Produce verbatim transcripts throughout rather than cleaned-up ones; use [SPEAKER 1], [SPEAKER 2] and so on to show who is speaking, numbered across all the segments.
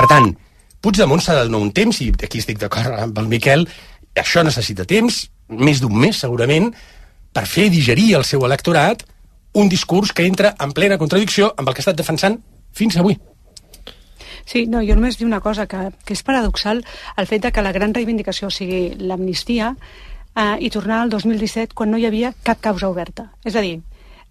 [SPEAKER 1] Per tant, Puigdemont s'ha de donar un temps, i aquí estic d'acord amb el Miquel, això necessita temps, més d'un mes segurament, per fer digerir al seu electorat un discurs que entra en plena contradicció amb el que ha estat defensant fins avui.
[SPEAKER 2] Sí, no, jo només dic una cosa, que, que és paradoxal el fet de que la gran reivindicació sigui l'amnistia eh, i tornar al dos mil disset quan no hi havia cap causa oberta. És a dir,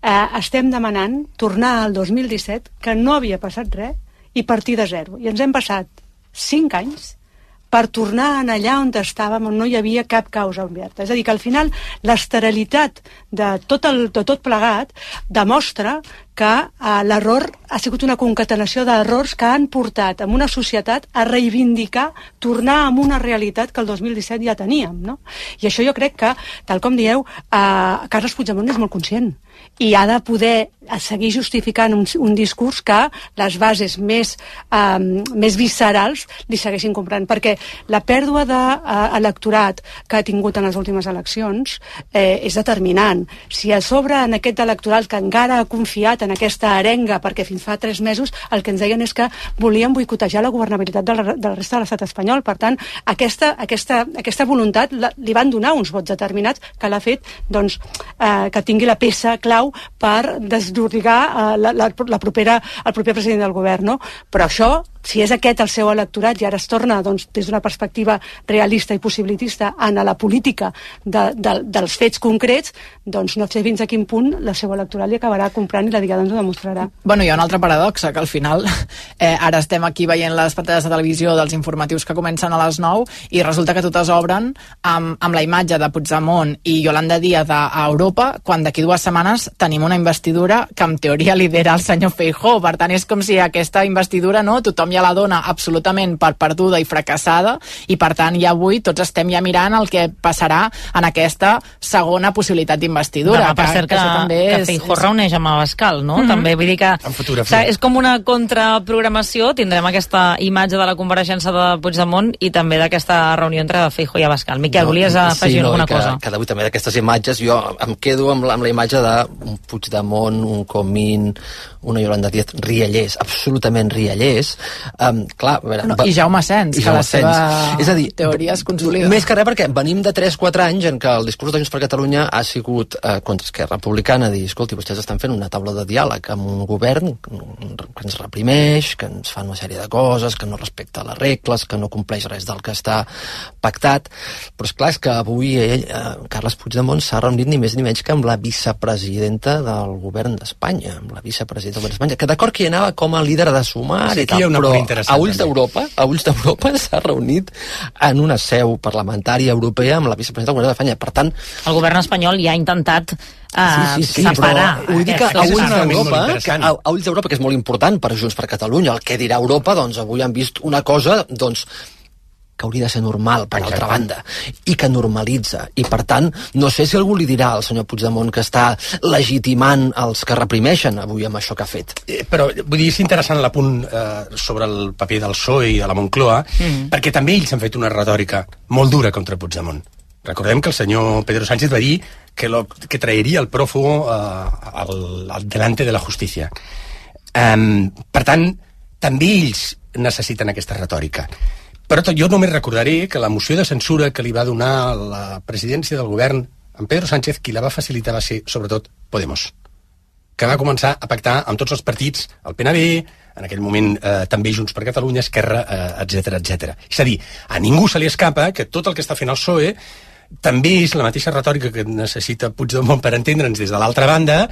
[SPEAKER 2] eh, estem demanant tornar al dos mil disset, que no havia passat res, i partir de zero. I ens hem passat cinc anys per tornar en allà on estàvem, on no hi havia cap causa oberta. És a dir, que al final l'esterilitat de tot, el, de tot plegat demostra que eh, l'error ha sigut una concatenació d'errors que han portat en una societat a reivindicar, tornar a una realitat que el dos mil disset ja teníem, no? I això jo crec que, tal com dieu, eh, Carles Puigdemont és molt conscient i ha de poder seguir justificant un, un discurs que les bases més, eh, més viscerals li segueixin comprant, perquè la pèrdua d'electorat que ha tingut en les últimes eleccions eh, és determinant. Si a sobre en aquest electorat que encara ha confiat en aquesta arenga, perquè fins fa tres mesos el que ens deien és que volien boicotejar la governabilitat de la, de la resta de l'estat espanyol. Per tant, aquesta, aquesta, aquesta voluntat la, li van donar uns vots determinats que l'ha fet doncs, eh, que tingui la peça clau per desllorigar eh, la, la, la propera, el proper president del govern, no? Però això, si és aquest el seu electorat i ara es torna doncs, des d'una perspectiva realista i possibilitista en la política de, de, dels fets concrets, doncs no sé fins a quin punt la seu electoral li acabarà comprant i la Diada ens ho demostrarà.
[SPEAKER 3] Bueno, hi ha una altra paradoxa, que al final eh, ara estem aquí veient les pantalles de televisió dels informatius que comencen a les nou i resulta que totes obren amb, amb la imatge de Puigdemont i Yolanda Díaz a, a Europa, quan d'aquí dues setmanes tenim una investidura que en teoria lidera el senyor Feijóo. Per tant, és com si aquesta investidura, no, tothom ja la dona absolutament per perduda i fracassada, i per tant ja avui tots estem ja mirant el que passarà en aquesta segona possibilitat d'investidura.
[SPEAKER 4] Demà, per cert, que, que, que, que Feijóo és... reuneix amb Abascal, no? Mm-hmm. També, vull dir que o sigui, és com una contraprogramació, tindrem aquesta imatge de la compareixença de Puigdemont i també d'aquesta reunió entre Feijóo i Abascal. Miquel, no, volies afegir sí, no, alguna
[SPEAKER 5] que,
[SPEAKER 4] cosa?
[SPEAKER 5] Que avui també d'aquestes imatges jo em quedo amb la, amb la imatge d'un Puigdemont, un Comín, una Yolanda Díaz riallers, absolutament riallers. Um, clar, a veure,
[SPEAKER 3] no,
[SPEAKER 5] va,
[SPEAKER 3] I Jaume Sens, que la seva
[SPEAKER 5] és a dir,
[SPEAKER 3] teoria es consolida.
[SPEAKER 5] Més que res perquè venim de tres quatre anys en què el discurs de Junts per Catalunya ha sigut eh, contra Esquerra Republicana, dir, escolti, vostès estan fent una taula de diàleg amb un govern que ens reprimeix, que ens fa una sèrie de coses, que no respecta les regles, que no compleix res del que està pactat, però és clar, és que avui ell, eh, Carles Puigdemont s'ha reunit ni més ni menys que amb la vicepresidenta del govern d'Espanya, amb la vicepresidenta del govern d'Espanya, que d'acord que hi anava com a líder de sumar sí, i tal, però a ulls d'Europa, a ulls d'Europa s'ha reunit en una seu parlamentària europea amb la vicepresidenta del govern d'Espanya. Per tant,
[SPEAKER 4] el govern espanyol ja ha intentat uh, sí, sí, sí,
[SPEAKER 5] separar. Vull dir que a ulls d'Europa,
[SPEAKER 1] a,
[SPEAKER 5] a ulls d'Europa, que és molt important per Junts per Catalunya, el que dirà Europa, doncs avui han vist una cosa, doncs que hauria de ser normal, per altra banda, i que normalitza. I, per tant, no sé si algú li dirà al senyor Puigdemont que està legitimant els que reprimeixen avui amb això que ha fet.
[SPEAKER 1] Eh, però, vull dir, és interessant l'apunt eh, sobre el paper del P S O E i de la Moncloa, mm. perquè també ells han fet una retòrica molt dura contra Puigdemont. Recordem que el senyor Pedro Sánchez va dir que, lo, que traeria el prófugo eh, al, al delante de la justícia. Um, per tant, també ells necessiten aquesta retòrica. Però jo només recordaré que la moció de censura que li va donar la presidència del govern en Pedro Sánchez, qui la va facilitar va ser, sobretot, Podemos, que va començar a pactar amb tots els partits, el P N B, en aquell moment eh, també Junts per Catalunya, Esquerra, eh, etcètera, etcètera. És a dir, a ningú se li escapa que tot el que està fent el P S O E també és la mateixa retòrica que necessita Puigdemont per entendre'ns des de l'altra banda,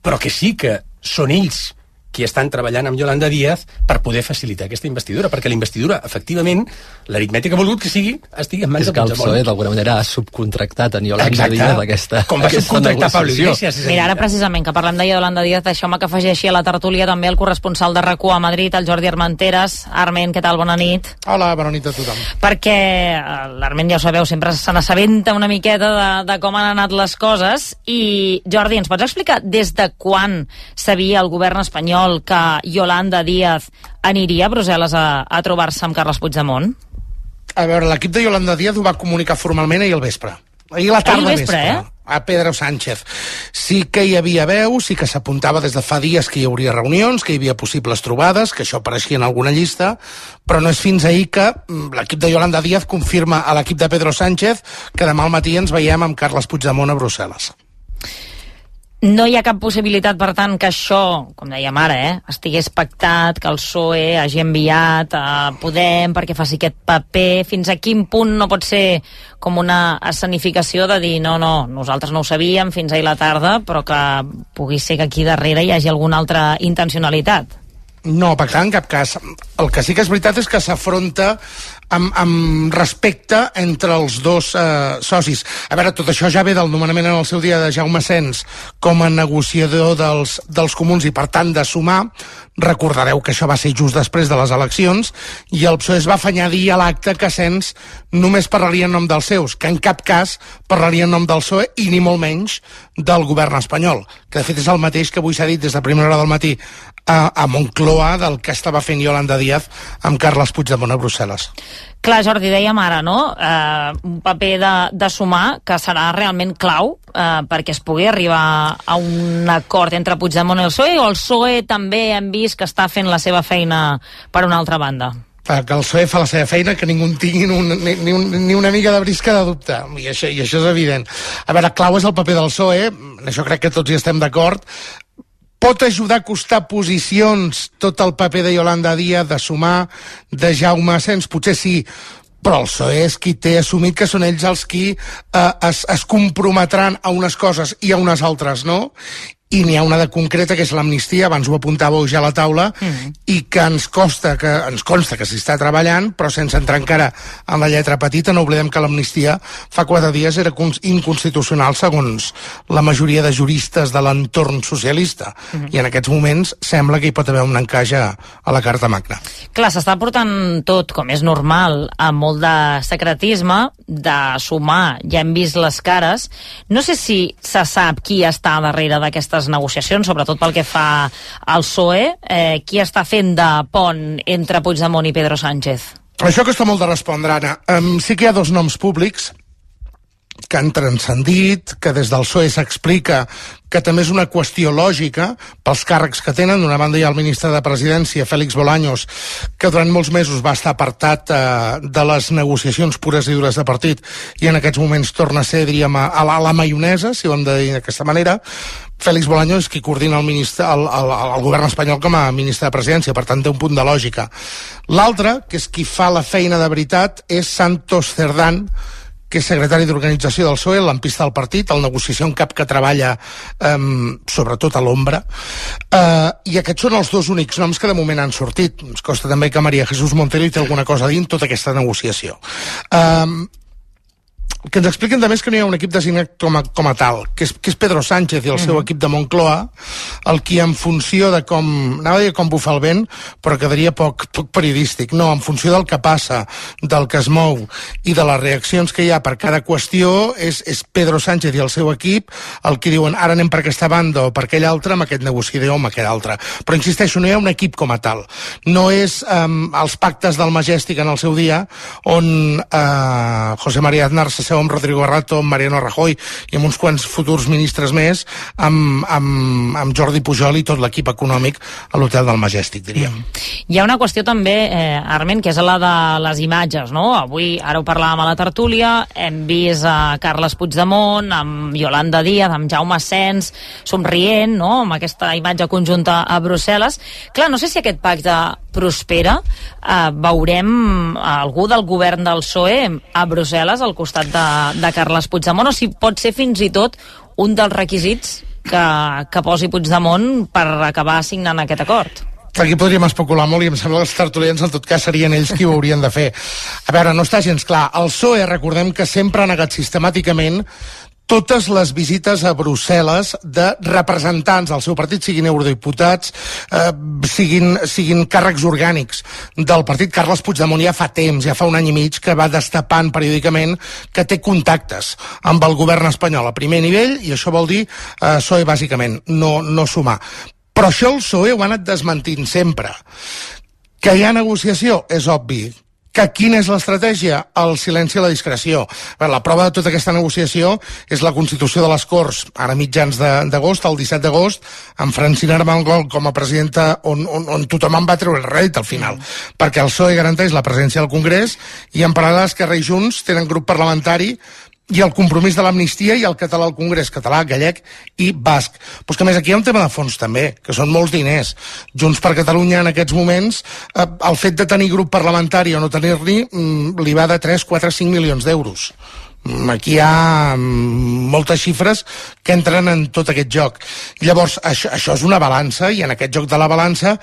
[SPEAKER 1] però que sí que són ells qui estan treballant amb Yolanda Díaz per poder facilitar aquesta investidura, perquè la investidura, efectivament, l'aritmètica ha volgut que sigui estigui en mans de Puigdemont.
[SPEAKER 5] És que el P S O E d'alguna manera ha subcontractat en Yolanda
[SPEAKER 1] Exacte.
[SPEAKER 5] Díaz aquesta
[SPEAKER 1] Com va subcontractar Pablo Iglesias.
[SPEAKER 4] Mira, ara precisament que parlem de Yolanda Díaz, deixeu-me que afegeixi a la tertúlia també el corresponsal de RAC u a Madrid, el Jordi Armenteres. Arment, què tal? Bona nit.
[SPEAKER 6] Hola, bona nit a tothom.
[SPEAKER 4] Perquè l'Arment, ja ho sabeu, sempre se n'assabenta una miqueta de, de com han anat les coses, i Jordi, ens pots explicar des de quan sabia el govern espanyol que Yolanda Díaz aniria a Brussel·les a, a trobar-se amb Carles Puigdemont?
[SPEAKER 6] A veure, l'equip de Yolanda Díaz ho va comunicar formalment ahir al vespre. Ahir la tarda
[SPEAKER 4] Ahir vespre,
[SPEAKER 6] vespre,
[SPEAKER 4] eh?
[SPEAKER 6] a Pedro Sánchez. Sí que hi havia veu, sí que s'apuntava des de fa dies que hi hauria reunions, que hi havia possibles trobades, que això apareixia en alguna llista, però no és fins ahir que l'equip de Yolanda Díaz confirma a l'equip de Pedro Sánchez que demà al matí ens veiem amb Carles Puigdemont a Brussel·les.
[SPEAKER 4] No hi ha cap possibilitat, per tant, que això, com dèiem ara, eh, estigués pactat, que el P S O E hagi enviat a Podem perquè faci aquest paper. Fins a quin punt no pot ser com una escenificació de dir no, no, nosaltres no ho sabíem fins ahir la tarda, però que pugui ser que aquí darrere hi hagi alguna altra intencionalitat?
[SPEAKER 6] No, pactar en cap cas. El que sí que és veritat és que s'afronta amb, amb respecte entre els dos eh, socis. A veure, tot això ja ve del nomenament en el seu dia de Jaume Sens com a negociador dels, dels comuns i, per tant, de sumar. Recordareu que això va ser just després de les eleccions i el P S O E es va afanyar a dir a l'acte que Sens només parlaria en nom dels seus, que en cap cas parlaria en nom del P S O E i ni molt menys del govern espanyol, que de fet és el mateix que avui s'ha dit des de primera hora del matí a, a Moncloa del que estava fent Yolanda Díaz amb Carles Puigdemont a Brussel·les.
[SPEAKER 4] Clar, Jordi, dèiem ara, no?, eh, un paper de, de sumar que serà realment clau eh, perquè es pugui arribar a un acord entre Puigdemont i el P S O E, o el P S O E també hem vist que està fent la seva feina per una altra banda?
[SPEAKER 6] Que el P S O E fa la seva feina, que ningú en tingui un, ni, ni, un, ni una mica de brisca de dubte, i això, i això és evident. A veure, clau és el paper del P S O E, en això crec que tots hi estem d'acord. Pot ajudar a acostar posicions tot el paper de Yolanda Díaz, de sumar, de Jaume Sens? Potser sí, però el P S O E és qui té assumit que són ells els qui eh, es, es comprometran a unes coses i a unes altres no, i n'hi ha una de concreta que és l'amnistia, abans ho apuntàveu ja a la taula, mm. i que ens costa que ens consta que s'hi està treballant, però sense entrar encara en la lletra petita. No oblidem que l'amnistia fa quatre dies era inconstitucional segons la majoria de juristes de l'entorn socialista, mm. i en aquests moments sembla que hi pot haver un encaix a, a la Carta Magna.
[SPEAKER 4] Clar, s'està portant tot, com és normal, amb molt de secretisme, de sumar, ja hem vist les cares. No sé si se sap qui està darrere d'aquestes negociacions, sobretot pel que fa al P S O E, eh, qui està fent de pont entre Puigdemont i Pedro Sánchez?
[SPEAKER 6] Això costa molt de respondre, Anna. Um, sí que hi ha dos noms públics que han transcendit, que des del P S O E s'explica que també és una qüestió lògica pels càrrecs que tenen. D'una banda hi ha el ministre de Presidència, Félix Bolaños, que durant molts mesos va estar apartat eh, de les negociacions pures i dures de partit i en aquests moments torna a ser, diríem, a la, a la maionesa, si ho hem de dir d'aquesta manera. Félix Bolaños és qui coordina el, ministre, el, el, el govern espanyol com a ministre de Presidència, per tant té un punt de lògica. L'altre, que és qui fa la feina de veritat, és Santos Cerdán, que és secretari d'organització del P S O E, l'ampista del partit, el negociació en cap que treballa um, sobretot a l'ombra. Uh, I aquests són els dos únics noms que de moment han sortit. Ens costa també que María Jesús Montero hi té alguna cosa a dir en tota aquesta negociació. Um, el que ens expliquen també és que no hi ha un equip designat com a, com a tal, que és, que és Pedro Sánchez i el seu mm. equip de Moncloa, el qui en funció de com, anava a dir com bufa el vent, però quedaria poc, poc periodístic, no, en funció del que passa, del que es mou i de les reaccions que hi ha per cada qüestió, és, és Pedro Sánchez i el seu equip el que diuen ara anem per aquesta banda o per aquella altra, amb aquest negociador o amb aquell altre. Però insisteixo, no hi ha un equip com a tal. No és um, els pactes del Majestic en el seu dia, on uh, José María Aznar se seu amb Rodrigo Rato, amb Mariano Rajoy i amb uns quants futurs ministres més, amb, amb, amb Jordi Pujol i tot l'equip econòmic a l'hotel del Majestic, diríem. Mm.
[SPEAKER 4] Hi ha una qüestió també, eh, Armen, que és la de les imatges, no? Avui, ara ho parlàvem a la tertúlia, hem vist a Carles Puigdemont, amb Yolanda Díaz, amb Jaume Sens, somrient, no?, amb aquesta imatge conjunta a Brussel·les. Clar, no sé si aquest pacte prospera, eh, veurem algú del govern del P S O E a Brussel·les al costat de, de Carles Puigdemont, o si pot ser fins i tot un dels requisits que, que posi Puigdemont per acabar signant aquest acord.
[SPEAKER 6] Aquí podríem especular molt i em sembla que els tertulians en tot cas serien ells qui ho haurien de fer. A veure, no està gens clar. El P S O E, recordem que sempre ha negat sistemàticament totes les visites a Brussel·les de representants del seu partit, siguin eurodiputats, eh, siguin, siguin càrrecs orgànics del partit. Carles Puigdemont ja fa temps, ja fa un any i mig, que va destapant periòdicament que té contactes amb el govern espanyol a primer nivell, i això vol dir eh, P S O E bàsicament, no, no sumar. Però això el P S O E ho ha anat desmentint sempre. Que hi ha negociació és obvi, Que quina és l'estratègia? El silenci i la discreció. La prova de tota aquesta negociació és la constitució de les Corts, ara mitjans d'agost, el disset d'agost, amb Francina Armengol com a presidenta, on, on, on tothom en va treure el rèdit al final, mm. perquè el P S O E garanteix la presència del Congrés i en paral·lel Esquerra i Junts tenen grup parlamentari i el compromís de l'amnistia i el català al Congrés, català, gallec i basc. Però és que a més aquí hi ha un tema de fons també, que són molts diners. Junts per Catalunya en aquests moments, eh, el fet de tenir grup parlamentari o no tenir-n'hi, mm, li va de tres, quatre, cinc milions d'euros. Aquí hi ha moltes xifres que entren en tot aquest joc. Llavors, això, això és una balança, i en aquest joc de la balança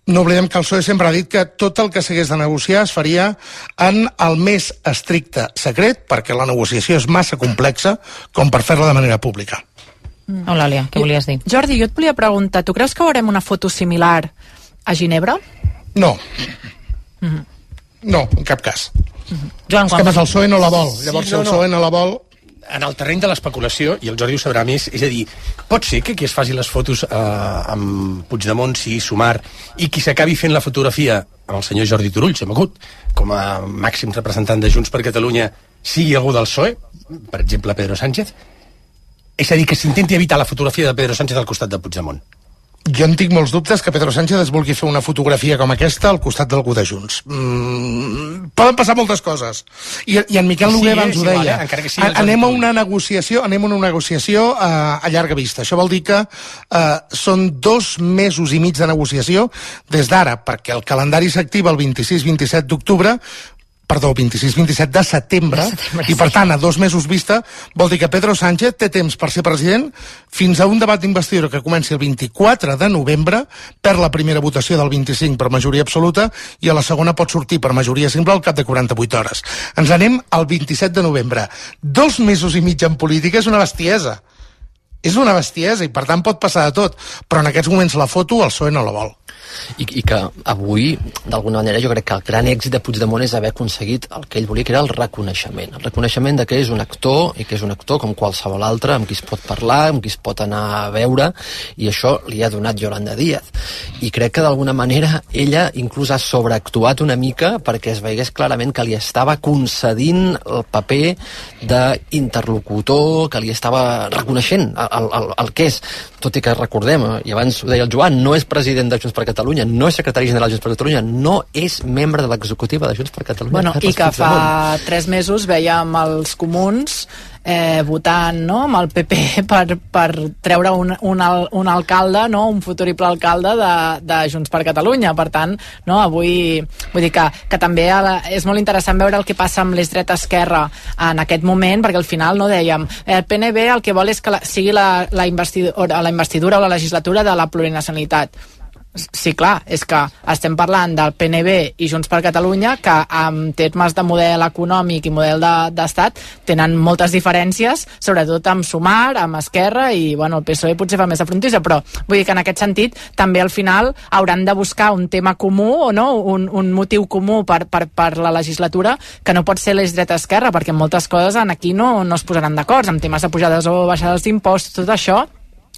[SPEAKER 6] no oblidem que el P S O E sempre ha dit que tot el que s'hagués de negociar es faria en el més estricte secret, perquè la negociació és massa complexa com per fer-la de manera pública.
[SPEAKER 4] Mm. Eulàlia, què volies dir?
[SPEAKER 3] Jordi, jo et volia preguntar, tu creus que veurem una foto similar a Ginebra?
[SPEAKER 6] No.
[SPEAKER 3] Mm-hmm.
[SPEAKER 6] No, en cap cas.
[SPEAKER 4] Joan,
[SPEAKER 6] és que el P S O E no la vol. Llavors, sí, no, si el P S O E no la vol...
[SPEAKER 1] En el terreny de l'especulació, i el Jordi ho sabrà més, és a dir, pot ser que qui es faci les fotos eh, amb Puigdemont sigui Sumar i qui s'acabi fent la fotografia amb el senyor Jordi Turull, s'ha mogut, com a màxim representant de Junts per Catalunya, sigui algú del P S O E, per exemple Pedro Sánchez? És a dir, que s'intenti evitar la fotografia de Pedro Sánchez al costat de Puigdemont.
[SPEAKER 6] Jo en tinc molts dubtes que Pedro Sánchez es vulgui fer una fotografia com aquesta al costat d'algú de Junts. Mm, poden passar moltes coses. I, i en Miquel Noguer abans ho deia.
[SPEAKER 1] Igual, eh? sí,
[SPEAKER 6] anem a una negociació, anem a una negociació uh, a llarga vista. Això vol dir que uh, són dos mesos i mig de negociació des d'ara, perquè el calendari s'activa el vint-i-sis vint-i-set d'octubre, perdó, vint-i-sis vint-i-set de setembre, de setembre i per tant, a dos mesos vista, vol dir que Pedro Sánchez té temps per ser president fins a un debat d'investidura que comenci el vint-i-quatre de novembre, per la primera votació del vint-i-cinc per majoria absoluta i a la segona pot sortir per majoria simple al cap de quaranta-vuit hores. Ens anem al vint-i-set de novembre. Dos mesos i mig en política és una bestiesa. És una bestiesa i per tant pot passar de tot, però en aquests moments la foto el P S O E no la vol.
[SPEAKER 5] I, i que avui, d'alguna manera, jo crec que el gran èxit de Puigdemont és haver aconseguit el que ell volia, que era el reconeixement. El reconeixement de que és un actor, i que és un actor com qualsevol altre, amb qui es pot parlar, amb qui es pot anar a veure, i això li ha donat Yolanda Díaz. I crec que d'alguna manera ella inclús ha sobreactuat una mica perquè es veiés clarament que li estava concedint el paper d'interlocutor, que li estava reconeixent el, el, el que és. Tot i que recordem, i abans ho deia el Joan, no és president de Junts per Catalunya, no és secretari general de Junts per Catalunya, no és membre de l'executiva de Junts per Catalunya.
[SPEAKER 3] Bueno, i que fa tres mesos veiem els comuns eh, votant, no?, amb el P P per, per treure un, un, al, un alcalde, no?, un futurible alcalde de, de Junts per Catalunya. Per tant, no, avui vull dir que, que també és molt interessant veure el que passa amb l'Esdreta-Esquerra en aquest moment, perquè al final, no, dèiem, el P N B el que vol és que la, sigui la, la, investidura, la investidura o la legislatura de la plurinacionalitat. Sí, clar, és que estem parlant del P N B i Junts per Catalunya, que en termes de model econòmic i model d'estat de, tenen moltes diferències, sobretot amb Sumar, amb Esquerra, i bueno, el P S O E potser fa més de frontissa, però vull dir que en aquest sentit també al final hauran de buscar un tema comú, o no, un, un motiu comú per, per, per la legislatura, que no pot ser l'eix dreta-esquerra, perquè moltes coses en aquí no, no es posaran d'acord, en temes de pujades o baixades d'impostos, tot això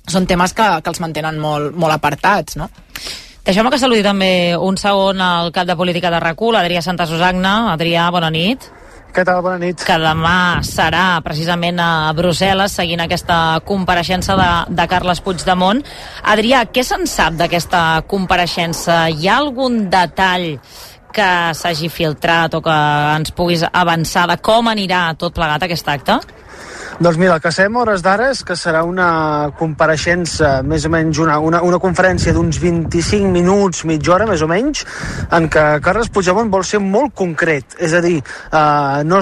[SPEAKER 3] són temes que, que els mantenen molt, molt apartats, no?
[SPEAKER 4] Deixeu-me que saludi també un segon al cap de política de RAC u, l'Adrià Santa Susagna. Adrià, bona nit.
[SPEAKER 7] Què tal? Bona nit.
[SPEAKER 4] Que demà serà precisament a Brussel·les seguint aquesta compareixença de, de Carles Puigdemont. Adrià, què se'n sap d'aquesta compareixença? Hi ha algun detall que s'hagi filtrat o que ens puguis avançar de com anirà tot plegat aquest acte?
[SPEAKER 7] Doncs mira, el que sabem hores d'ara és que serà una compareixença, més o menys una, una, una conferència d'uns vint-i-cinc minuts, mitja hora, més o menys, en què Carles Puigdemont vol ser molt concret. És a dir, eh, no,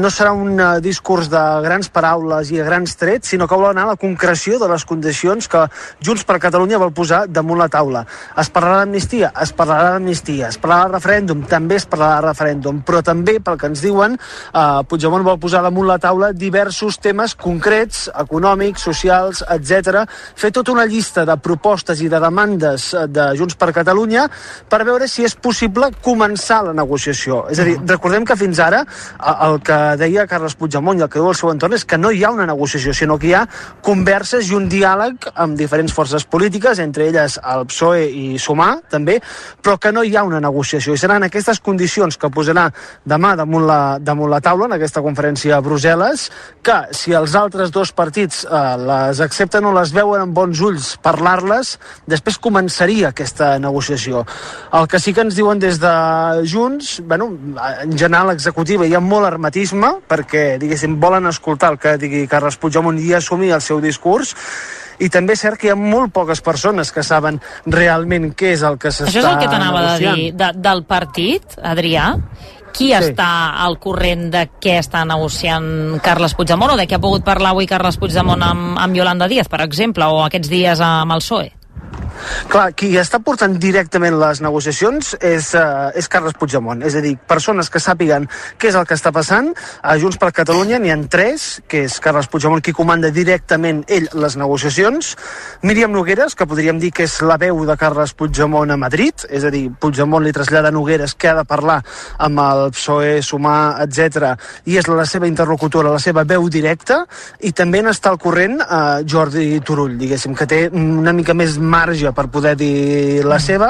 [SPEAKER 7] no serà un discurs de grans paraules i de grans trets, sinó que vol anar a la concreció de les condicions que Junts per Catalunya vol posar damunt la taula. Es parlarà d'amnistia? Es parlarà d'amnistia. Es parlarà de referèndum? També es parlarà de referèndum. Però també, pel que ens diuen, eh, Puigdemont vol posar damunt la taula diversos temes temes concrets, econòmics, socials, etcètera. Fer tota una llista de propostes i de demandes de Junts per Catalunya per veure si és possible començar la negociació. És a dir, recordem que fins ara el que deia Carles Puigdemont i el que diu el seu entorn és que no hi ha una negociació, sinó que hi ha converses i un diàleg amb diferents forces polítiques, entre elles el P S O E i Sumar, també, però que no hi ha una negociació. I seran aquestes condicions que posarà demà damunt la, damunt la taula, en aquesta conferència a Brussel·les, que si els altres dos partits eh, les accepten o les veuen amb bons ulls parlar-les, després començaria aquesta negociació. El que sí que ens diuen des de Junts, bueno, en general l'executiva hi ha molt hermetisme, perquè, diguéssim, volen escoltar el que digui Carles Puigdemont i assumir el seu discurs, i també és cert que hi ha molt poques persones que saben realment què és el que s'està negociant.
[SPEAKER 4] Això és el que t'anava de dir, de, del partit, Adrià? Qui sí. està al corrent de què està negociant Carles Puigdemont o de què ha pogut parlar avui Carles Puigdemont amb, amb Yolanda Díaz, per exemple, o aquests dies amb el P S O E?
[SPEAKER 7] Clar, qui està portant directament les negociacions és, uh, és Carles Puigdemont. És a dir, persones que sàpiguen què és el que està passant. A Junts per Catalunya n'hi ha tres, que és Carles Puigdemont qui comanda directament ell les negociacions. Míriam Nogueras, que podríem dir que és la veu de Carles Puigdemont a Madrid, és a dir, Puigdemont li trasllada a Nogueras que ha de parlar amb el P S O E, Sumar, etcètera, i és la seva interlocutora, la seva veu directa, i també n'està al corrent uh, Jordi Turull, diguéssim, que té una mica més marge per poder dir la seva.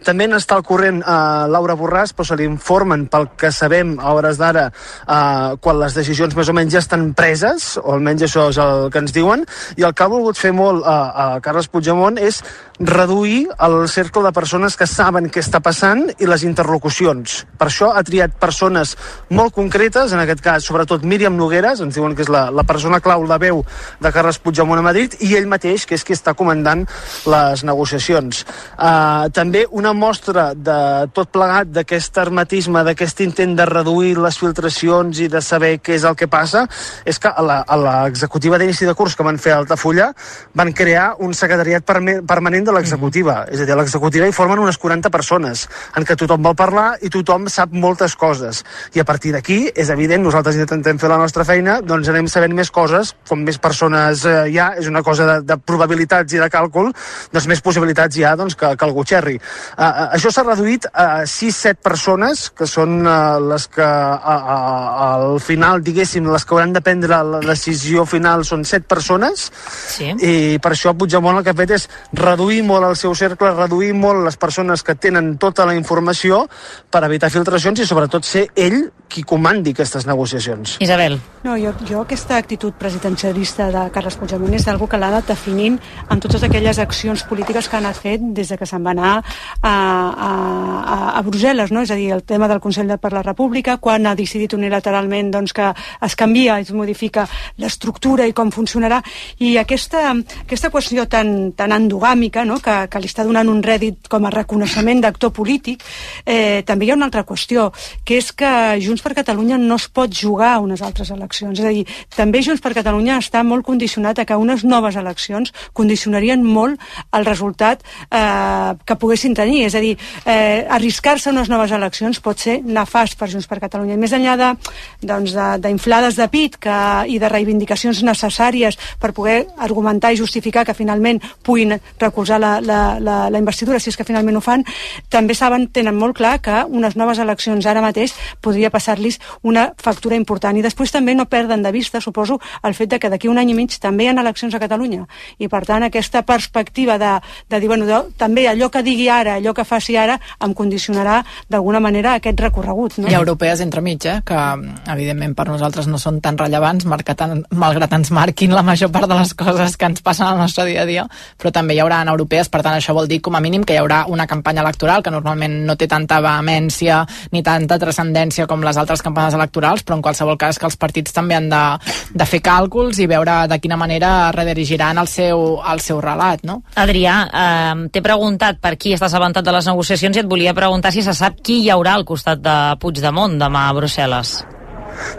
[SPEAKER 7] També n'està al corrent eh, Laura Borràs, però se li informen pel que sabem a hores d'ara eh, quan les decisions més o menys ja estan preses, o almenys això és el que ens diuen, i el que ha volgut fer molt a, a Carles Puigdemont és reduir el cercle de persones que saben què està passant i les interlocucions. Per això ha triat persones molt concretes, en aquest cas sobretot Míriam Nogueras, ens diuen que és la, la persona clau, la veu de Carles Puigdemont a Madrid, i ell mateix, que és qui està comandant les negociacions. Uh, també una mostra de tot plegat d'aquest hermetisme, d'aquest intent de reduir les filtracions i de saber què és el que passa, és que a l'executiva d'inici de curs que van fer a Altafulla van crear un secretariat permanent de l'executiva. Mm. És a dir, a l'executiva hi formen unes quaranta persones, en què tothom vol parlar i tothom sap moltes coses. I a partir d'aquí, és evident, nosaltres intentem fer la nostra feina, doncs anem sabent més coses, com més persones eh, hi ha, és una cosa de, de probabilitats i de càlcul, doncs més possibilitats hi ha doncs, que, que algú xerri. Uh, uh, això s'ha reduït a sis set persones, que són uh, les que uh, uh, al final, diguéssim, les que hauran de prendre la decisió final són set persones, sí. I per això Puigdemont el que ha fet és reduir molt el seu cercle, reduir molt les persones que tenen tota la informació per evitar filtracions i sobretot ser ell qui comandi aquestes negociacions.
[SPEAKER 4] Isabel.
[SPEAKER 2] No, jo, jo aquesta actitud presidencialista de Carles Puigdemont és algo que l'ha anat definint en totes aquelles accions polítiques que ha anat fet des de que se'n va anar a, a, a, a Brussel·les, no? És a dir, el tema del Consell per la República, quan ha decidit unilateralment doncs, que es canvia i es modifica l'estructura i com funcionarà, i aquesta, aquesta qüestió tan, tan endogàmica, no? que, que li està donant un rèdit com a reconeixement d'actor polític, eh, també hi ha una altra qüestió, que és que Junts per Catalunya no es pot jugar a unes altres eleccions. És a dir, també Junts per Catalunya està molt condicionat a que unes noves eleccions condicionarien molt el resultat eh, que poguessin tenir. És a dir, eh, arriscar-se a unes noves eleccions pot ser nefast per Junts per Catalunya. I més enllà de, doncs, d'inflades de, de pit que, i de reivindicacions necessàries per poder argumentar i justificar que finalment puguin recolzar la, la, la, la investidura, si és que finalment ho fan, també saben, tenen molt clar que unes noves eleccions ara mateix podria passar-los una factura important. I després també no perden de vista, suposo, el fet de que d'aquí un any i mig també hi ha eleccions a Catalunya. I per tant, aquesta perspectiva de, de dir, bueno, de, també allò que digui ara, allò que faci ara, em condicionarà d'alguna manera aquest recorregut. No?
[SPEAKER 3] I europees entremig, eh? Que evidentment per nosaltres no són tan rellevants, tan, malgrat ens marquin la major part de les coses que ens passen al nostre dia a dia, però també hi haurà en europees, per tant això vol dir com a mínim que hi haurà una campanya electoral que normalment no té tanta vehemència ni tanta transcendència com les altres campanyes electorals, però en qualsevol cas que els partits també han de, de fer càlculs i veure de quina manera redirigiran el seu, el seu relat, no?
[SPEAKER 4] Adrià, eh, t'he preguntat per qui estàs avançat de les negociacions i et volia preguntar si se sap qui hi haurà al costat de Puigdemont demà a Brussel·les.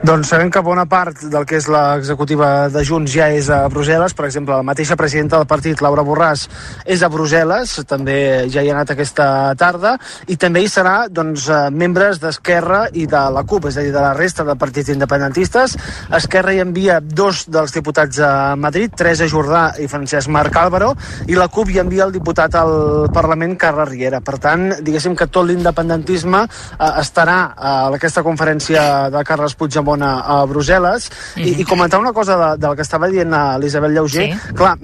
[SPEAKER 7] Doncs sabem que bona part del que és l'executiva de Junts ja és a Brussel·les. Per exemple, la mateixa presidenta del partit, Laura Borràs, és a Brussel·les, també ja hi ha anat aquesta tarda, i també hi serà doncs, membres d'Esquerra i de la CUP, és a dir, de la resta de partits independentistes. Esquerra hi envia dos dels diputats a Madrid, Teresa Jordà i Francesc Marc Álvaro, i la CUP hi envia el diputat al Parlament, Carles Riera. Per tant, diguéssim que tot l'independentisme eh, estarà a aquesta conferència de Carles Puigdemont a, a Brussel·les. Mm-hmm. I, i comentar una cosa de, del que estava dient Elisabet Lleuger. Sí. Clar,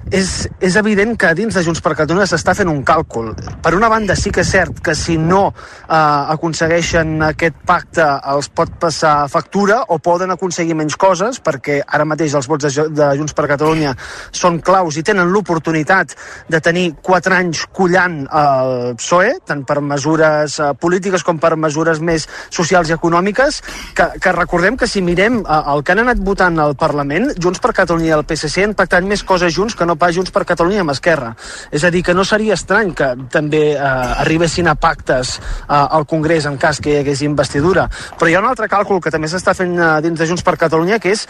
[SPEAKER 7] és, és evident que dins de Junts per Catalunya s'està fent un càlcul. Per una banda, sí que és cert que si no eh, aconsegueixen aquest pacte els pot passar factura o poden aconseguir menys coses, perquè ara mateix els vots de, de Junts per Catalunya són claus i tenen l'oportunitat de tenir quatre anys collant el P S O E, tant per mesures eh, polítiques com per mesures més socials i econòmiques, que, que recordem que si mirem eh, el que han anat votant al Parlament, Junts per Catalunya i el P S C han pactat més coses junts que no pas Junts per Catalunya amb Esquerra. És a dir, que no seria estrany que també eh, arribessin a pactes eh, al Congrés en cas que hi hagués investidura. Però hi ha un altre càlcul que també s'està fent eh, dins de Junts per Catalunya, que és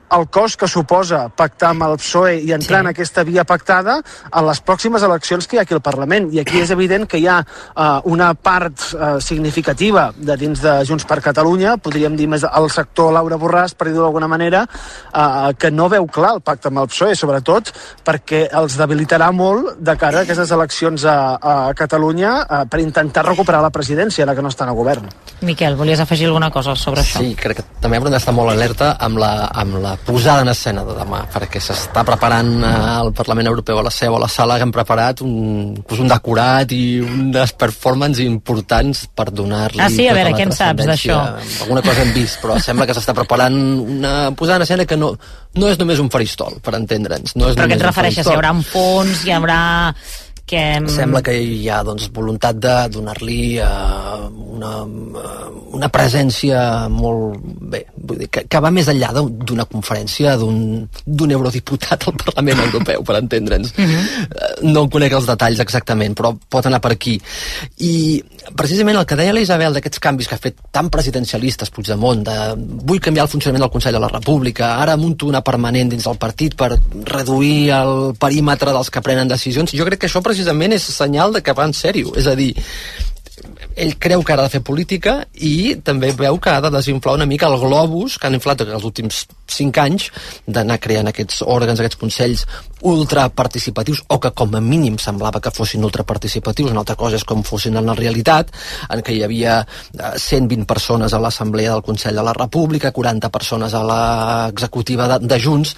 [SPEAKER 7] el cost que suposa pactar amb el P S O E i entrar sí. en aquesta via pactada a les pròximes eleccions que hi ha aquí al Parlament. I aquí és evident que hi ha uh, una part uh, significativa de dins de Junts per Catalunya, podríem dir més el sector Laura Borràs, per dir-ho d'alguna manera, uh, que no veu clar el pacte amb el P S O E, sobretot perquè els debilitarà molt de cara a aquestes eleccions a, a Catalunya uh, per intentar recuperar la presidència, ara que no estan a govern.
[SPEAKER 4] Miquel, volies afegir alguna cosa sobre això?
[SPEAKER 5] Sí, crec que també hem d'estar molt alerta amb la, amb la posada en escena de demà, perquè s'està preparant eh, al Parlament Europeu, a la seu, a la sala, que han preparat un, pues un decorat i unes performances importants per donar-li...
[SPEAKER 4] Ah, sí? A veure, què en saps d'això?
[SPEAKER 5] Alguna cosa hem vist, però sembla que s'està preparant una posada en escena que no, no és només un faristol, per entendre'ns. No és
[SPEAKER 4] però què et refereixes?
[SPEAKER 5] Hi
[SPEAKER 4] haurà un fons, hi haurà... Que...
[SPEAKER 5] Sembla que hi ha doncs, voluntat de donar-li uh, una, uh, una presència molt bé, vull dir, que, que va més enllà d'una conferència d'un eurodiputat al Parlament Europeu, per entendre'ns. Uh-huh. uh, no conec els detalls exactament, però pot anar per aquí. I precisament el que deia la Isabel d'aquests canvis que ha fet tan presidencialistes Puigdemont, de vull canviar el funcionament del Consell de la República, ara munto una permanent dins del partit per reduir el perímetre dels que prenen decisions, jo crec que això precisament és senyal de que va en sèrio, és a dir, ell creu que ha de fer política i també veu que ha de desinflar una mica el globus que han inflat els últims cinc anys d'anar creant aquests òrgans, aquests consells ultraparticipatius, o que com a mínim semblava que fossin ultraparticipatius. Una altra cosa és com fossin en la realitat, en què hi havia cent vint persones a l'Assemblea del Consell de la República, quaranta persones a l'executiva de, de Junts.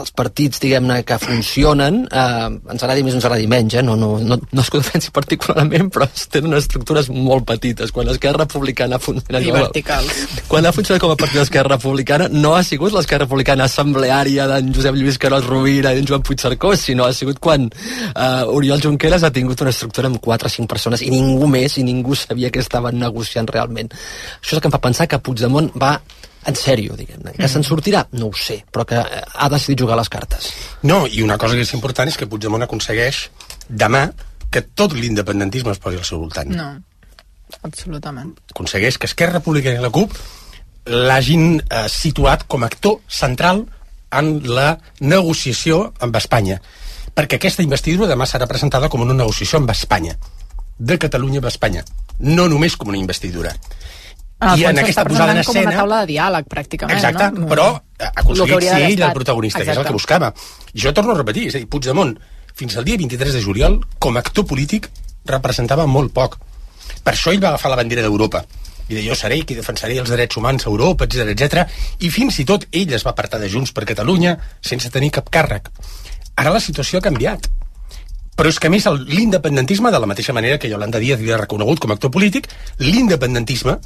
[SPEAKER 5] Els partits, diguem-ne, que funcionen, eh, ens agradi més o ens agradi menys, eh? no, no, no, no es que ho defensi particularment, però tenen estructures molt petites. Quan l'Esquerra Republicana ha funcionat
[SPEAKER 3] I verticals.
[SPEAKER 5] Quan ha funcionat com a partit d'Esquerra Republicana, no ha sigut l'Esquerra Republicana assembleària d'en Josep Lluís Carod Rovira i d'en Joan Puigcercós, sinó ha sigut quan uh, Oriol Junqueras ha tingut una estructura amb quatre o cinc persones i ningú més, i ningú sabia què estaven negociant realment. Això és el que em fa pensar que Puigdemont va en sèrio, diguem-ne. Que se'n sortirà? No ho sé, però que ha decidit jugar les cartes.
[SPEAKER 1] No, i una cosa que és important és que Puigdemont aconsegueix demà que tot l'independentisme es posi al seu voltant.
[SPEAKER 3] No, absolutament.
[SPEAKER 1] Aconsegueix que Esquerra Republicana i la CUP l'hagin eh, situat com a actor central en la negociació amb Espanya, perquè aquesta investidura demà serà presentada com una negociació amb Espanya, de Catalunya amb Espanya, no només com una investidura.
[SPEAKER 3] Ah, I en aquesta posada en escena... com una taula de diàleg, pràcticament,
[SPEAKER 1] exacte,
[SPEAKER 3] no?
[SPEAKER 1] Però ha aconseguit ser ell el protagonista, exacte, que és el que buscava. Jo torno a repetir, és a dir, Puigdemont, fins al dia vint-i-tres de juliol, com a actor polític, representava molt poc. Per això ell va agafar la bandera d'Europa. I de jo seré qui defensaré els drets humans a Europa, etcètera, etcètera. I fins i tot ell es va apartar de Junts per Catalunya sense tenir cap càrrec. Ara la situació ha canviat. Però és que a més l'independentisme, de la mateixa manera que Yolanda Díaz li ha reconegut com a actor polític, l'independentisme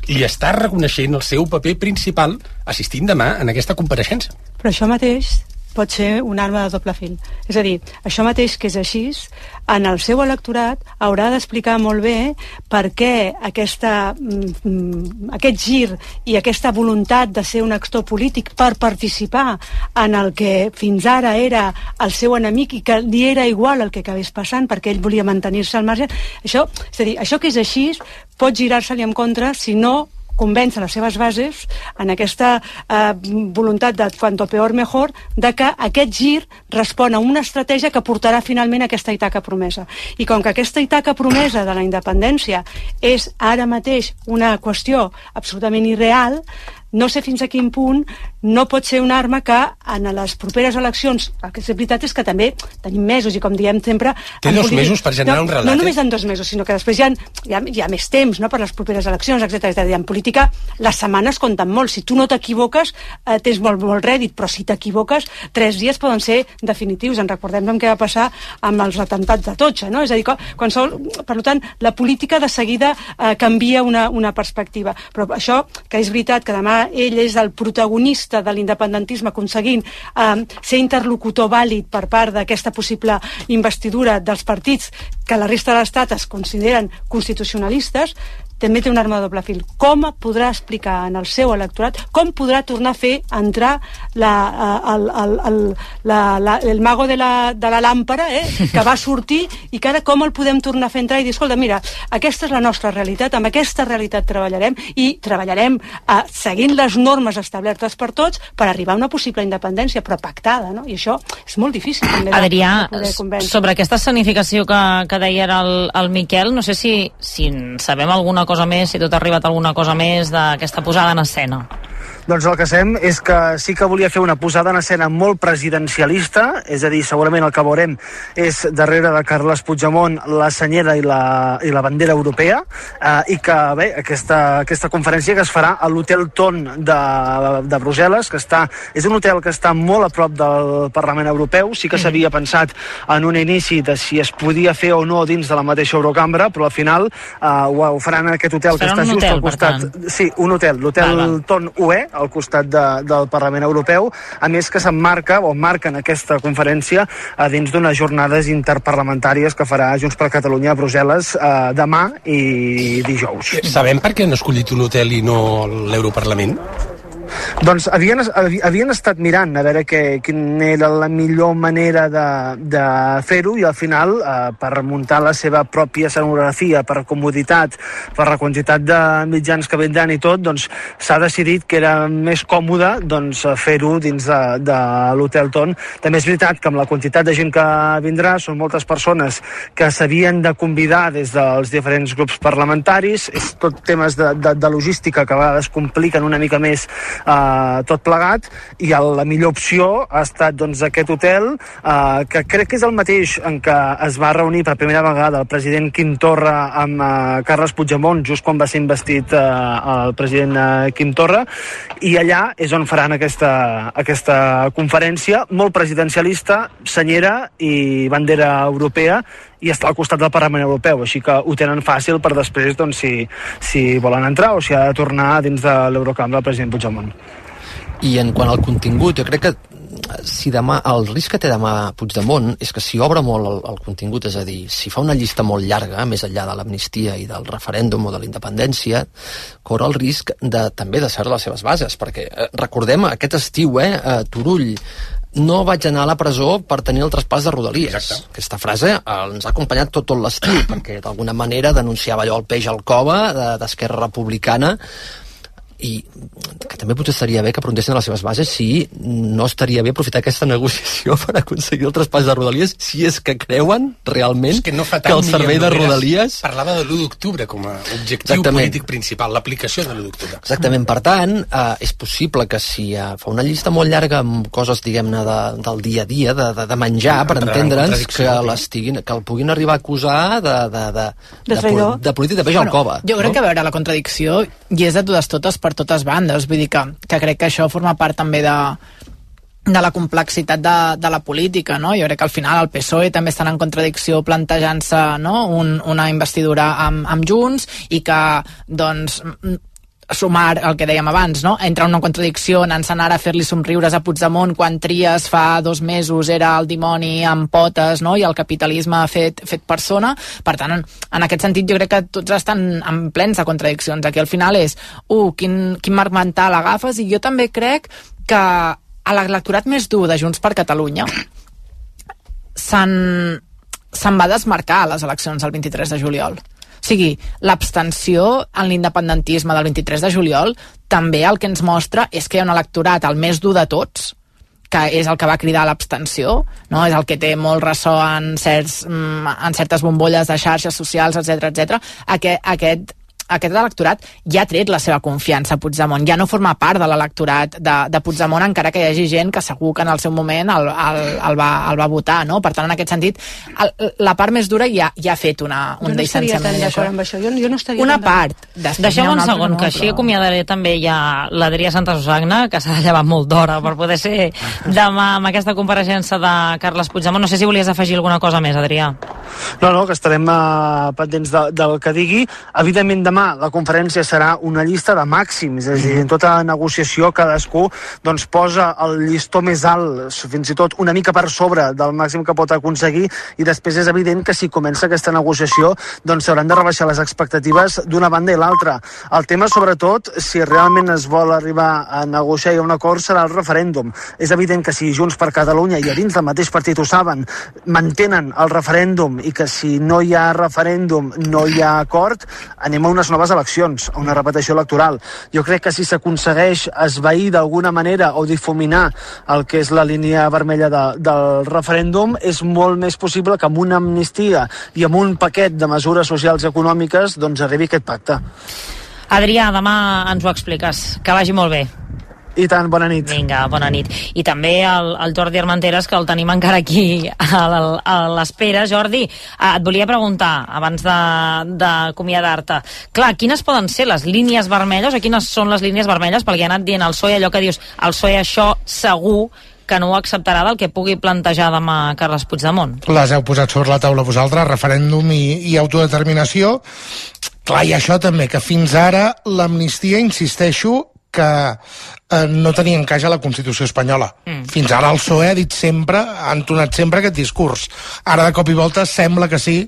[SPEAKER 1] li està reconeixent el seu paper principal assistint demà en aquesta compareixença.
[SPEAKER 2] Però això mateix pot ser un arma de doble fil. És a dir, això mateix que és així, en el seu electorat haurà d'explicar molt bé per què aquesta, mm, aquest gir i aquesta voluntat de ser un actor polític per participar en el que fins ara era el seu enemic i que li era igual el que acabés passant perquè ell volia mantenir-se al marge. Això, és a dir, això que és així pot girar-se-li en contra si no convèncer les seves bases en aquesta eh, voluntat de cuanto peor mejor, de que aquest gir respon a una estratègia que portarà finalment a aquesta Ítaca promesa. I com que aquesta Ítaca promesa de la independència és ara mateix una qüestió absolutament irreal, no sé fins a quin punt no pot ser una arma que en les properes eleccions, el que és veritat és que també tenim mesos i com diem sempre...
[SPEAKER 1] Té dos polític... mesos per generar
[SPEAKER 2] no,
[SPEAKER 1] un relat.
[SPEAKER 2] No només en dos mesos, sinó que després hi ha, hi ha, hi ha més temps, no?, per les properes eleccions, etcètera. En política les setmanes compten molt. Si tu no t'equivoques, eh, tens molt, molt rèdit, però si t'equivoques, tres dies poden ser definitius. En recordem què va passar amb els atemptats d'Atocha, no? És a dir, qualsevol... per tant, la política de seguida eh, canvia una, una perspectiva. Però això, que és veritat que demà ell és el protagonista de l'independentisme aconseguint eh, ser interlocutor vàlid per part d'aquesta possible investidura dels partits que la resta de l'Estat es consideren constitucionalistes, també té una arma de doble fil. Com podrà explicar en el seu electorat, com podrà tornar a fer entrar la, el, el, el, la, la, el mago de la, de la làmpara, eh, que va sortir, i que ara com el podem tornar a fer entrar i dir, escolta, mira, aquesta és la nostra realitat, amb aquesta realitat treballarem, i treballarem eh, seguint les normes establertes per tots per arribar a una possible independència, però pactada, no? I això és molt difícil també de,
[SPEAKER 4] Adrià,
[SPEAKER 2] de poder convèncer.
[SPEAKER 4] Sobre aquesta escenificació que, que deia ara el, el Miquel, no sé si, si sabem alguna cosa més, si tot ha arribat alguna cosa més d'aquesta posada en escena.
[SPEAKER 7] Doncs el que sabem és que sí que volia fer una posada en escena molt presidencialista, és a dir, segurament el que veurem és darrere de Carles Puigdemont la senyera i la, i la bandera europea, eh, i que bé, aquesta, aquesta conferència que es farà a l'Hotel Ton de, de Brussel·les, que està, és un hotel que està molt a prop del Parlament Europeu. Sí que s'havia pensat en un inici de si es podia fer o no dins de la mateixa Eurocambra, però al final eh, ho, ho faran en aquest hotel que està just
[SPEAKER 4] hotel,
[SPEAKER 7] al costat. Sí, un hotel, l'Hotel Ton U E, al costat de, del Parlament Europeu, a més que s'emmarca o marquen aquesta conferència eh, dins d'unes jornades interparlamentàries que farà Junts per Catalunya a Brussel·les eh, demà i dijous.
[SPEAKER 1] Sabem per què han escollit un hotel i no l'Europarlament?
[SPEAKER 7] Doncs havien, havien estat mirant a veure que, quina era la millor manera de, de fer-ho, i al final, eh, per muntar la seva pròpia escenografia, per comoditat, per la quantitat de mitjans que vindran i tot, doncs s'ha decidit que era més còmode doncs, fer-ho dins de, de l'Hotel Ton. També és veritat que amb la quantitat de gent que vindrà són moltes persones que s'havien de convidar des dels diferents grups parlamentaris, és tot temes de, de, de logística que a vegades compliquen una mica més Uh, tot plegat, i el, la millor opció ha estat doncs, aquest hotel, uh, que crec que és el mateix en què es va reunir per primera vegada el president Quim Torra amb uh, Carles Puigdemont just quan va ser investit uh, el president uh, Quim Torra, i allà és on faran aquesta, aquesta conferència molt presidencialista, senyera i bandera europea, i està al costat del Parlament Europeu, així que ho tenen fàcil per després, doncs, si, si volen entrar o si ha de tornar dins de l'Eurocambra el president Puigdemont.
[SPEAKER 5] I en quant al contingut, jo crec que si demà, el risc que té demà Puigdemont és que si obre molt el, el contingut, és a dir, si fa una llista molt llarga, més enllà de l'amnistia i del referèndum o de la independència, corre el risc de, també de ser les seves bases, perquè eh, recordem aquest estiu, eh, a Turull, no vaig anar a la presó per tenir el traspàs de Rodalies.
[SPEAKER 1] Exacte.
[SPEAKER 5] Aquesta frase eh, ens ha acompanyat tot, tot l'estiu, perquè d'alguna manera denunciava allò el peix al cova d'Esquerra Republicana, i que també potser estaria bé que preguntessin a les seves bases si no estaria bé aprofitar aquesta negociació per aconseguir el traspàs de Rodalies, si és que creuen realment
[SPEAKER 1] que, no
[SPEAKER 5] que el servei de Rodalies...
[SPEAKER 1] Parlava de l'u d'octubre com a objectiu Exactament. polític principal, l'aplicació de l'u d'octubre.
[SPEAKER 5] Exactament, per tant, eh, és possible que si eh, fa una llista molt llarga amb coses, diguem-ne, de, del dia a dia, de, de, de menjar, per entendre'ns, que, l'estiguin, que el puguin arribar a acusar de, de, de, de, de, de, de polític de peix al cova.
[SPEAKER 3] Jo crec
[SPEAKER 5] no?
[SPEAKER 3] que a veure, la contradicció hi és de totes totes per totes bandes, vull dir que, que crec que això forma part també de, de la complexitat de, de la política, no? Jo crec que al final el P S O E també estan en contradicció plantejant-se, no?, Un, una investidura amb, amb Junts, i que, doncs, sumar el que dèiem abans, no? Entra una contradicció anant-se'n ara a fer-li somriures a Puigdemont quan Trias fa dos mesos era el dimoni amb potes, no?, i el capitalisme fet, fet persona. Per tant, en, en aquest sentit jo crec que tots estan en plens de contradiccions. Aquí al final és, uh, quin, quin marc mental agafes, i jo també crec que a l'electorat més dur de Junts per Catalunya se'n, se'n va desmarcar a les eleccions del vint-i-tres de juliol. O sigui, l'abstenció en l'independentisme del vint-i-tres de juliol també el que ens mostra és que hi ha un electorat el més dur de tots, que és el que va cridar l'abstenció, no? És el que té molt ressò en, certs, en certes bombolles de xarxes socials, etcètera, etcètera. Aquest, aquest aquest electorat ja ha tret la seva confiança a Puigdemont, ja no forma part de l'electorat de, de Puigdemont, encara que hi hagi gent que segur que en el seu moment el, el, el, va, el va votar, no? Per tant, en aquest sentit, el, la part més dura ja, ja ha fet una, un
[SPEAKER 2] no
[SPEAKER 3] distanciament
[SPEAKER 2] d'això. Amb això. Jo, jo no estaria
[SPEAKER 3] una part.
[SPEAKER 4] Deixeu un segon, no, que així però... acomiadaré també ja l'Adrià Santa Susagna, que s'ha de llevar molt d'hora per poder ser demà amb aquesta compareixença de Carles Puigdemont. No sé si volies afegir alguna cosa més, Adrià.
[SPEAKER 7] No, no, que estarem uh, pendents de, del que digui. Evidentment, demà la conferència serà una llista de màxims, és a dir, en tota negociació cadascú doncs, posa el llistó més alt, fins i tot una mica per sobre del màxim que pot aconseguir, i després és evident que si comença aquesta negociació doncs s'hauran de rebaixar les expectatives d'una banda i l'altra. El tema, sobretot, si realment es vol arribar a negociar i a un acord, serà el referèndum. És evident que si Junts per Catalunya i a dins del mateix partit ho saben, mantenen el referèndum i que si no hi ha referèndum no hi ha acord, anem a unes noves eleccions, a una repetició electoral. Jo crec que si s'aconsegueix esvair d'alguna manera o difuminar el que és la línia vermella de, del referèndum, és molt més possible que amb una amnistia i amb un paquet de mesures socials i econòmiques doncs arribi aquest pacte.
[SPEAKER 4] Adrià, demà ens ho expliques. Que vagi molt bé.
[SPEAKER 7] I tant, bona nit.
[SPEAKER 4] Vinga, bona nit. I també el, el Jordi Armenteres, que el tenim encara aquí a, a l'espera. Jordi, et volia preguntar, abans d'acomiadar-te, clar, quines poden ser les línies vermelles, o quines són les línies vermelles, perquè ha anat dient el P S O E allò que dius, el P S O E això segur que no ho acceptarà del que pugui plantejar demà Carles Puigdemont.
[SPEAKER 6] Les heu posat sobre la taula vosaltres, referèndum i, i autodeterminació. Clar, i això també, que fins ara l'amnistia, insisteixo, que eh, no tenia encaix a la Constitució espanyola. Mm. Fins ara el P S O E ha dit sempre, ha entonat sempre aquest discurs. Ara de cop i volta sembla que sí,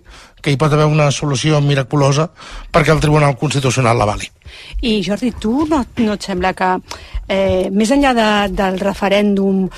[SPEAKER 6] que hi pot haver una solució miraculosa perquè el Tribunal Constitucional l'avali.
[SPEAKER 2] I Jordi, tu no, no et sembla que eh, més enllà de, del referèndum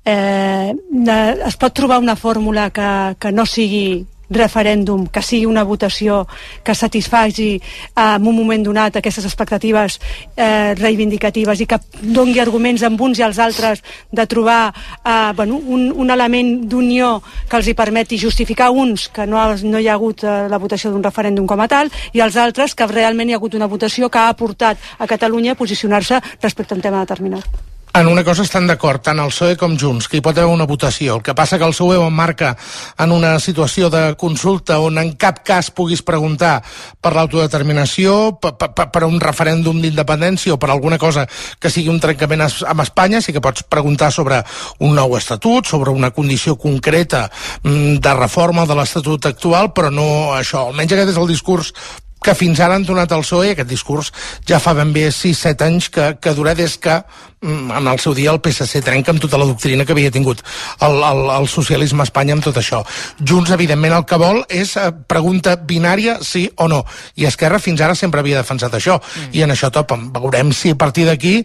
[SPEAKER 2] eh, de, es pot trobar una fórmula que, que no sigui referèndum, que sigui una votació que satisfaci eh, en un moment donat aquestes expectatives eh, reivindicatives i que dongui arguments amb uns i als altres de trobar eh, bueno, un, un element d'unió que els hi permeti justificar uns que no, no hi ha hagut eh, la votació d'un referèndum com a tal, i els altres que realment hi ha hagut una votació que ha portat a Catalunya a posicionar-se respecte a un tema determinat.
[SPEAKER 6] En una cosa estan d'acord, tant el P S O E com Junts, que hi pot haver una votació. El que passa que el P S O E ho emmarca en una situació de consulta on en cap cas puguis preguntar per l'autodeterminació, per, per, per un referèndum d'independència o per alguna cosa que sigui un trencament amb Espanya. Sí que pots preguntar sobre un nou estatut, sobre una condició concreta de reforma de l'estatut actual, però no això. Almenys aquest és el discurs que fins ara han donat el P S O E, aquest discurs ja fa ben bé sis set anys que, que dura des que en el seu dia el P S C trenca amb tota la doctrina que havia tingut el, el, el socialisme a Espanya amb tot això. Junts, evidentment, el que vol és pregunta binària, sí o no, i Esquerra fins ara sempre havia defensat això, mm. i en això topen. Veurem si a partir d'aquí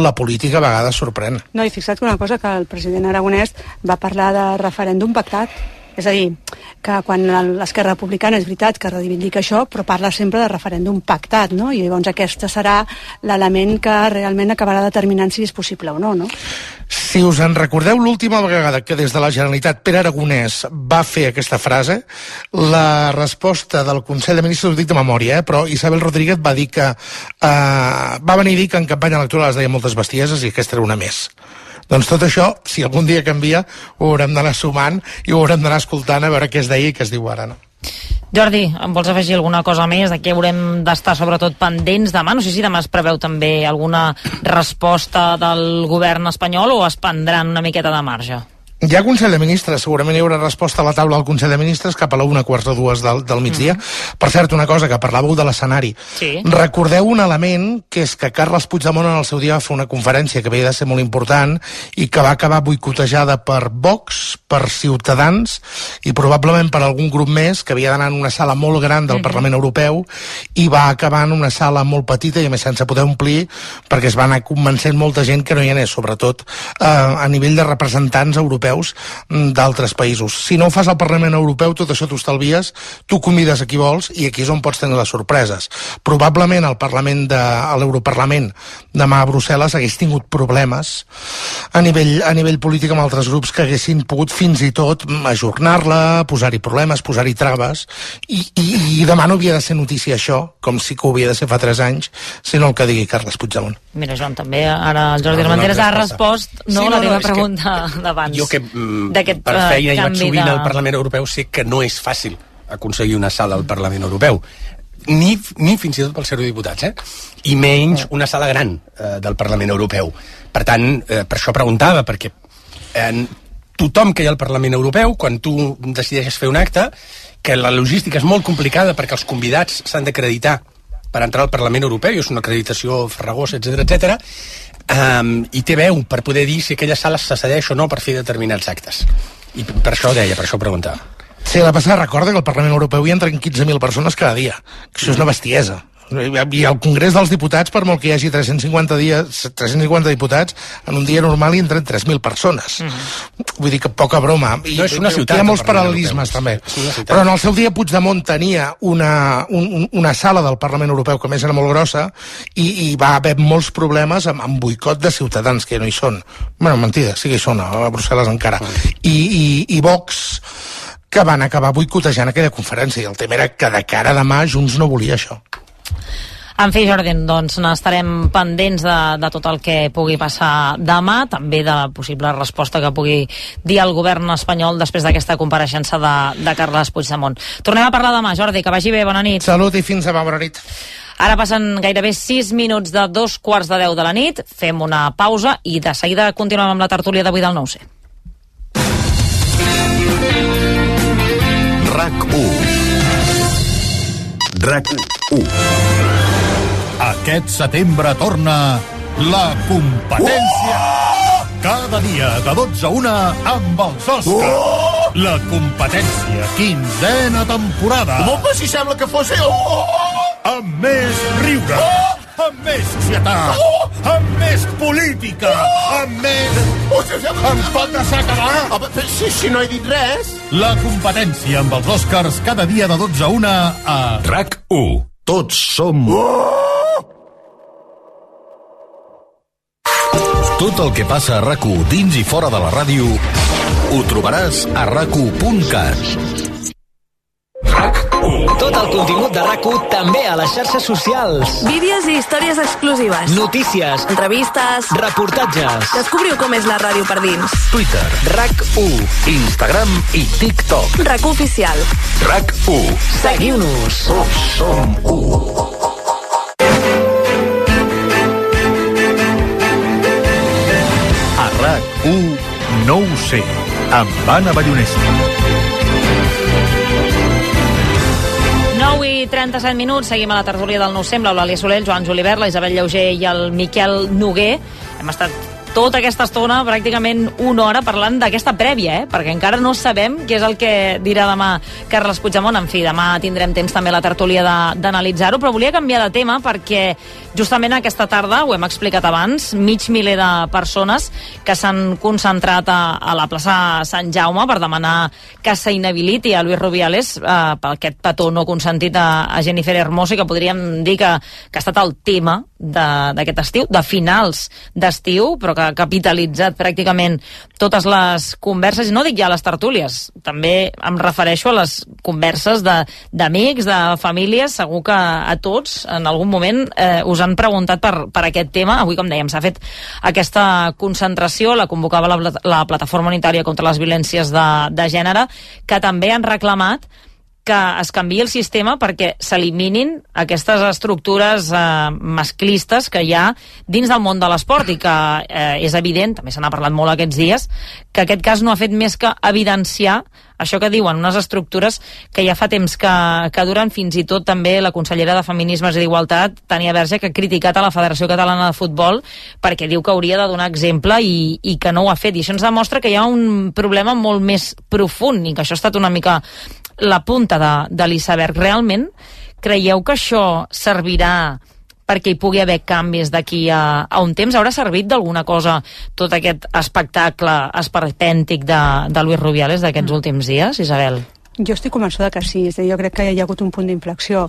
[SPEAKER 6] la política a vegades sorprèn.
[SPEAKER 2] No, i fixa't una cosa, que el president Aragonès va parlar de referèndum pactat. És a dir, que quan l'Esquerra Republicana és veritat que reivindica això, però parla sempre de referèndum pactat, no? I llavors aquest serà l'element que realment acabarà determinant si és possible o no, no?
[SPEAKER 6] Si us en recordeu, l'última vegada que des de la Generalitat Pere Aragonès va fer aquesta frase, la resposta del Consell de Ministres, ho dic de memòria, eh, però Isabel Rodríguez va dir que eh, va venir a dir que en campanya electoral es deia moltes bestieses i aquesta era una més. Doncs tot això, si algun dia canvia, ho haurem d'anar sumant i ho haurem d'anar escoltant a veure què es deia i què es diu ara, no?
[SPEAKER 4] Jordi, em vols afegir alguna cosa més? De què haurem d'estar sobretot pendents demà? No sé si demà es preveu també alguna resposta del govern espanyol o es prendran una miqueta de marge?
[SPEAKER 6] Hi ha Consell de Ministres, segurament hi haurà resposta a la taula del Consell de Ministres cap a la una, quarts de dues del, del migdia. Mm. Per cert, una cosa, que parlàveu de l'escenari.
[SPEAKER 4] Sí.
[SPEAKER 6] Recordeu un element, que és que Carles Puigdemont en el seu dia va fer una conferència que havia de ser molt important i que va acabar boicotejada per Vox, per Ciutadans i probablement per algun grup més, que havia d'anar en una sala molt gran del mm-hmm. Parlament Europeu i va acabar en una sala molt petita i a més sense poder omplir, perquè es va anar convencent molta gent que no hi anés, sobretot eh, a nivell de representants europeus europeus d'altres països. Si no ho fas al Parlament Europeu, tot això t'ho estalvies, tu convides a qui vols i aquí és on pots tenir les sorpreses. Probablement el Parlament de, a l'Europarlament demà a Brussel·les hagués tingut problemes a nivell, a nivell polític amb altres grups que haguessin pogut fins i tot ajornar-la, posar-hi problemes, posar-hi traves, i, i, i demà no havia de ser notícia això, com sí que ho havia de ser fa tres anys, sinó el que digui Carles Puigdemont.
[SPEAKER 4] Mira, Joan, també ara el Jordi Armenteres ha respost no, sí, no, la teva no, pregunta d'abans.
[SPEAKER 1] Jo que mm, per feina hi vaig sovint de... al Parlament Europeu sé que no és fàcil aconseguir una sala al Parlament Europeu. Ni, ni fins i tot pels eurodiputats, eh? I menys una sala gran eh, del Parlament Europeu. Per tant, eh, per això preguntava, perquè eh, tothom que hi ha al Parlament Europeu, quan tu decideixes fer un acte, que la logística és molt complicada perquè els convidats s'han d'acreditar per entrar al Parlament Europeu, i és una acreditació farragosa, etcètera, etcètera, um, i té veu per poder dir si aquella sala se cedeix o no per fer determinats actes. I per això deia, per això preguntava.
[SPEAKER 6] Sí, la passada recorda que al Parlament Europeu hi entren quinze mil persones cada dia. Això és una bestiesa. I al Congrés dels Diputats, per molt que hi hagi tres-cents cinquanta dies, tres-cents cinquanta diputats, en un dia normal hi entren tres mil persones. Mm-hmm. Vull dir que poca broma. I
[SPEAKER 1] no és una ciutat.
[SPEAKER 6] Hi ha molts paral·lelismes, també. Però en el seu dia Puigdemont tenia una, un, una sala del Parlament Europeu que més era molt grossa i, i va haver molts problemes amb, amb boicot de ciutadans, que no hi són. Bueno, mentida, sí que hi són, a Brussel·les encara. Mm. I, i, i Vox, que van acabar boicotejant aquella conferència, i el tema era que de cara a demà Junts no volia això.
[SPEAKER 4] En fi, Jordi, doncs n'estarem pendents de, de tot el que pugui passar demà, també de la possible resposta que pugui dir el govern espanyol després d'aquesta compareixença de, de Carles Puigdemont. Tornem a parlar demà, Jordi, que vagi bé, bona nit.
[SPEAKER 6] Salut i fins demà, bona nit.
[SPEAKER 4] Ara passen gairebé sis minuts de dos quarts de deu de la nit, fem una pausa i de seguida continuem amb la tertúlia d'avui del nou C.
[SPEAKER 8] RAC u. RAC u.
[SPEAKER 9] Aquest setembre torna la competència. Cada dia de dotze a una amb els Oscars. La competència, quinzena temporada.
[SPEAKER 10] Home, si sembla que fos... Oh!
[SPEAKER 9] Amb més riure, amb més societat, amb més política, amb més... Em pot deixar acabar?
[SPEAKER 10] Si, si no he dit res.
[SPEAKER 9] La competència amb els Oscars cada dia de dotze a una a...
[SPEAKER 8] RAC u. Tots som... Tot el que passa a RAC u dins i fora de la ràdio ho trobaràs a rac u punt cat.
[SPEAKER 11] RAC u. Tot el contingut de RAC u també a les xarxes socials.
[SPEAKER 12] Vídeos i històries exclusives.
[SPEAKER 11] Notícies.
[SPEAKER 12] Entrevistes.
[SPEAKER 11] Reportatges.
[SPEAKER 12] Descobriu com és la ràdio per dins.
[SPEAKER 8] Twitter.
[SPEAKER 11] RAC u.
[SPEAKER 8] Instagram i TikTok.
[SPEAKER 12] RAC u oficial.
[SPEAKER 8] RAC u.
[SPEAKER 11] Seguiu-nos.
[SPEAKER 8] Tots som u.
[SPEAKER 9] A RAC u no ho sé, amb Anna Ballonesta.
[SPEAKER 4] nou i trenta-set minuts, seguim a la tertúlia del nou C amb l'Eulàlia Soler, el Joan Julivert, la Isabel Llauger i el Miquel Noguer. Hem estat tota aquesta estona, pràcticament una hora, parlant d'aquesta prèvia, eh? Perquè encara no sabem què és el que dirà demà Carles Puigdemont. En fi, demà tindrem temps també la tertúlia d'analitzar-ho, però volia canviar de tema perquè justament aquesta tarda, ho hem explicat abans, mig miler de persones que s'han concentrat a, a la plaça Sant Jaume per demanar que s'inhabiliti a Luis Rubiales eh, per aquest petó no consentit a, a Jennifer Hermoso, que podríem dir que, que ha estat el tema d'aquest estiu, de finals d'estiu, però que ha capitalitzat pràcticament totes les converses, i no dic ja les tertúlies, també em refereixo a les converses d'amics, de, de famílies. Segur que a tots en algun moment eh, us han preguntat per, per aquest tema. Avui, com dèiem, s'ha fet aquesta concentració, la convocava la, la Plataforma Unitària contra les Violències de, de Gènere, que també han reclamat que es canviï el sistema perquè s'eliminin aquestes estructures eh, masclistes que hi ha dins del món de l'esport, i que eh, és evident, també se n'ha parlat molt aquests dies, que aquest cas no ha fet més que evidenciar això que diuen, unes estructures que ja fa temps que, que duren. Fins i tot també la consellera de Feminismes i d'Igualtat, Tània Verge, que ha criticat a la Federació Catalana de Futbol perquè diu que hauria de donar exemple i, i que no ho ha fet. I això ens demostra que hi ha un problema molt més profund i que això ha estat una mica la punta de, de l'iceberg. Realment creieu que això servirà perquè hi pugui haver canvis d'aquí a, a un temps? Haurà servit d'alguna cosa tot aquest espectacle esperpèntic de, de Luis Rubiales d'aquests mm. últims dies, Isabel?
[SPEAKER 2] Jo estic convençuda que sí, és a dir, jo crec que hi ha hagut un punt d'inflexió.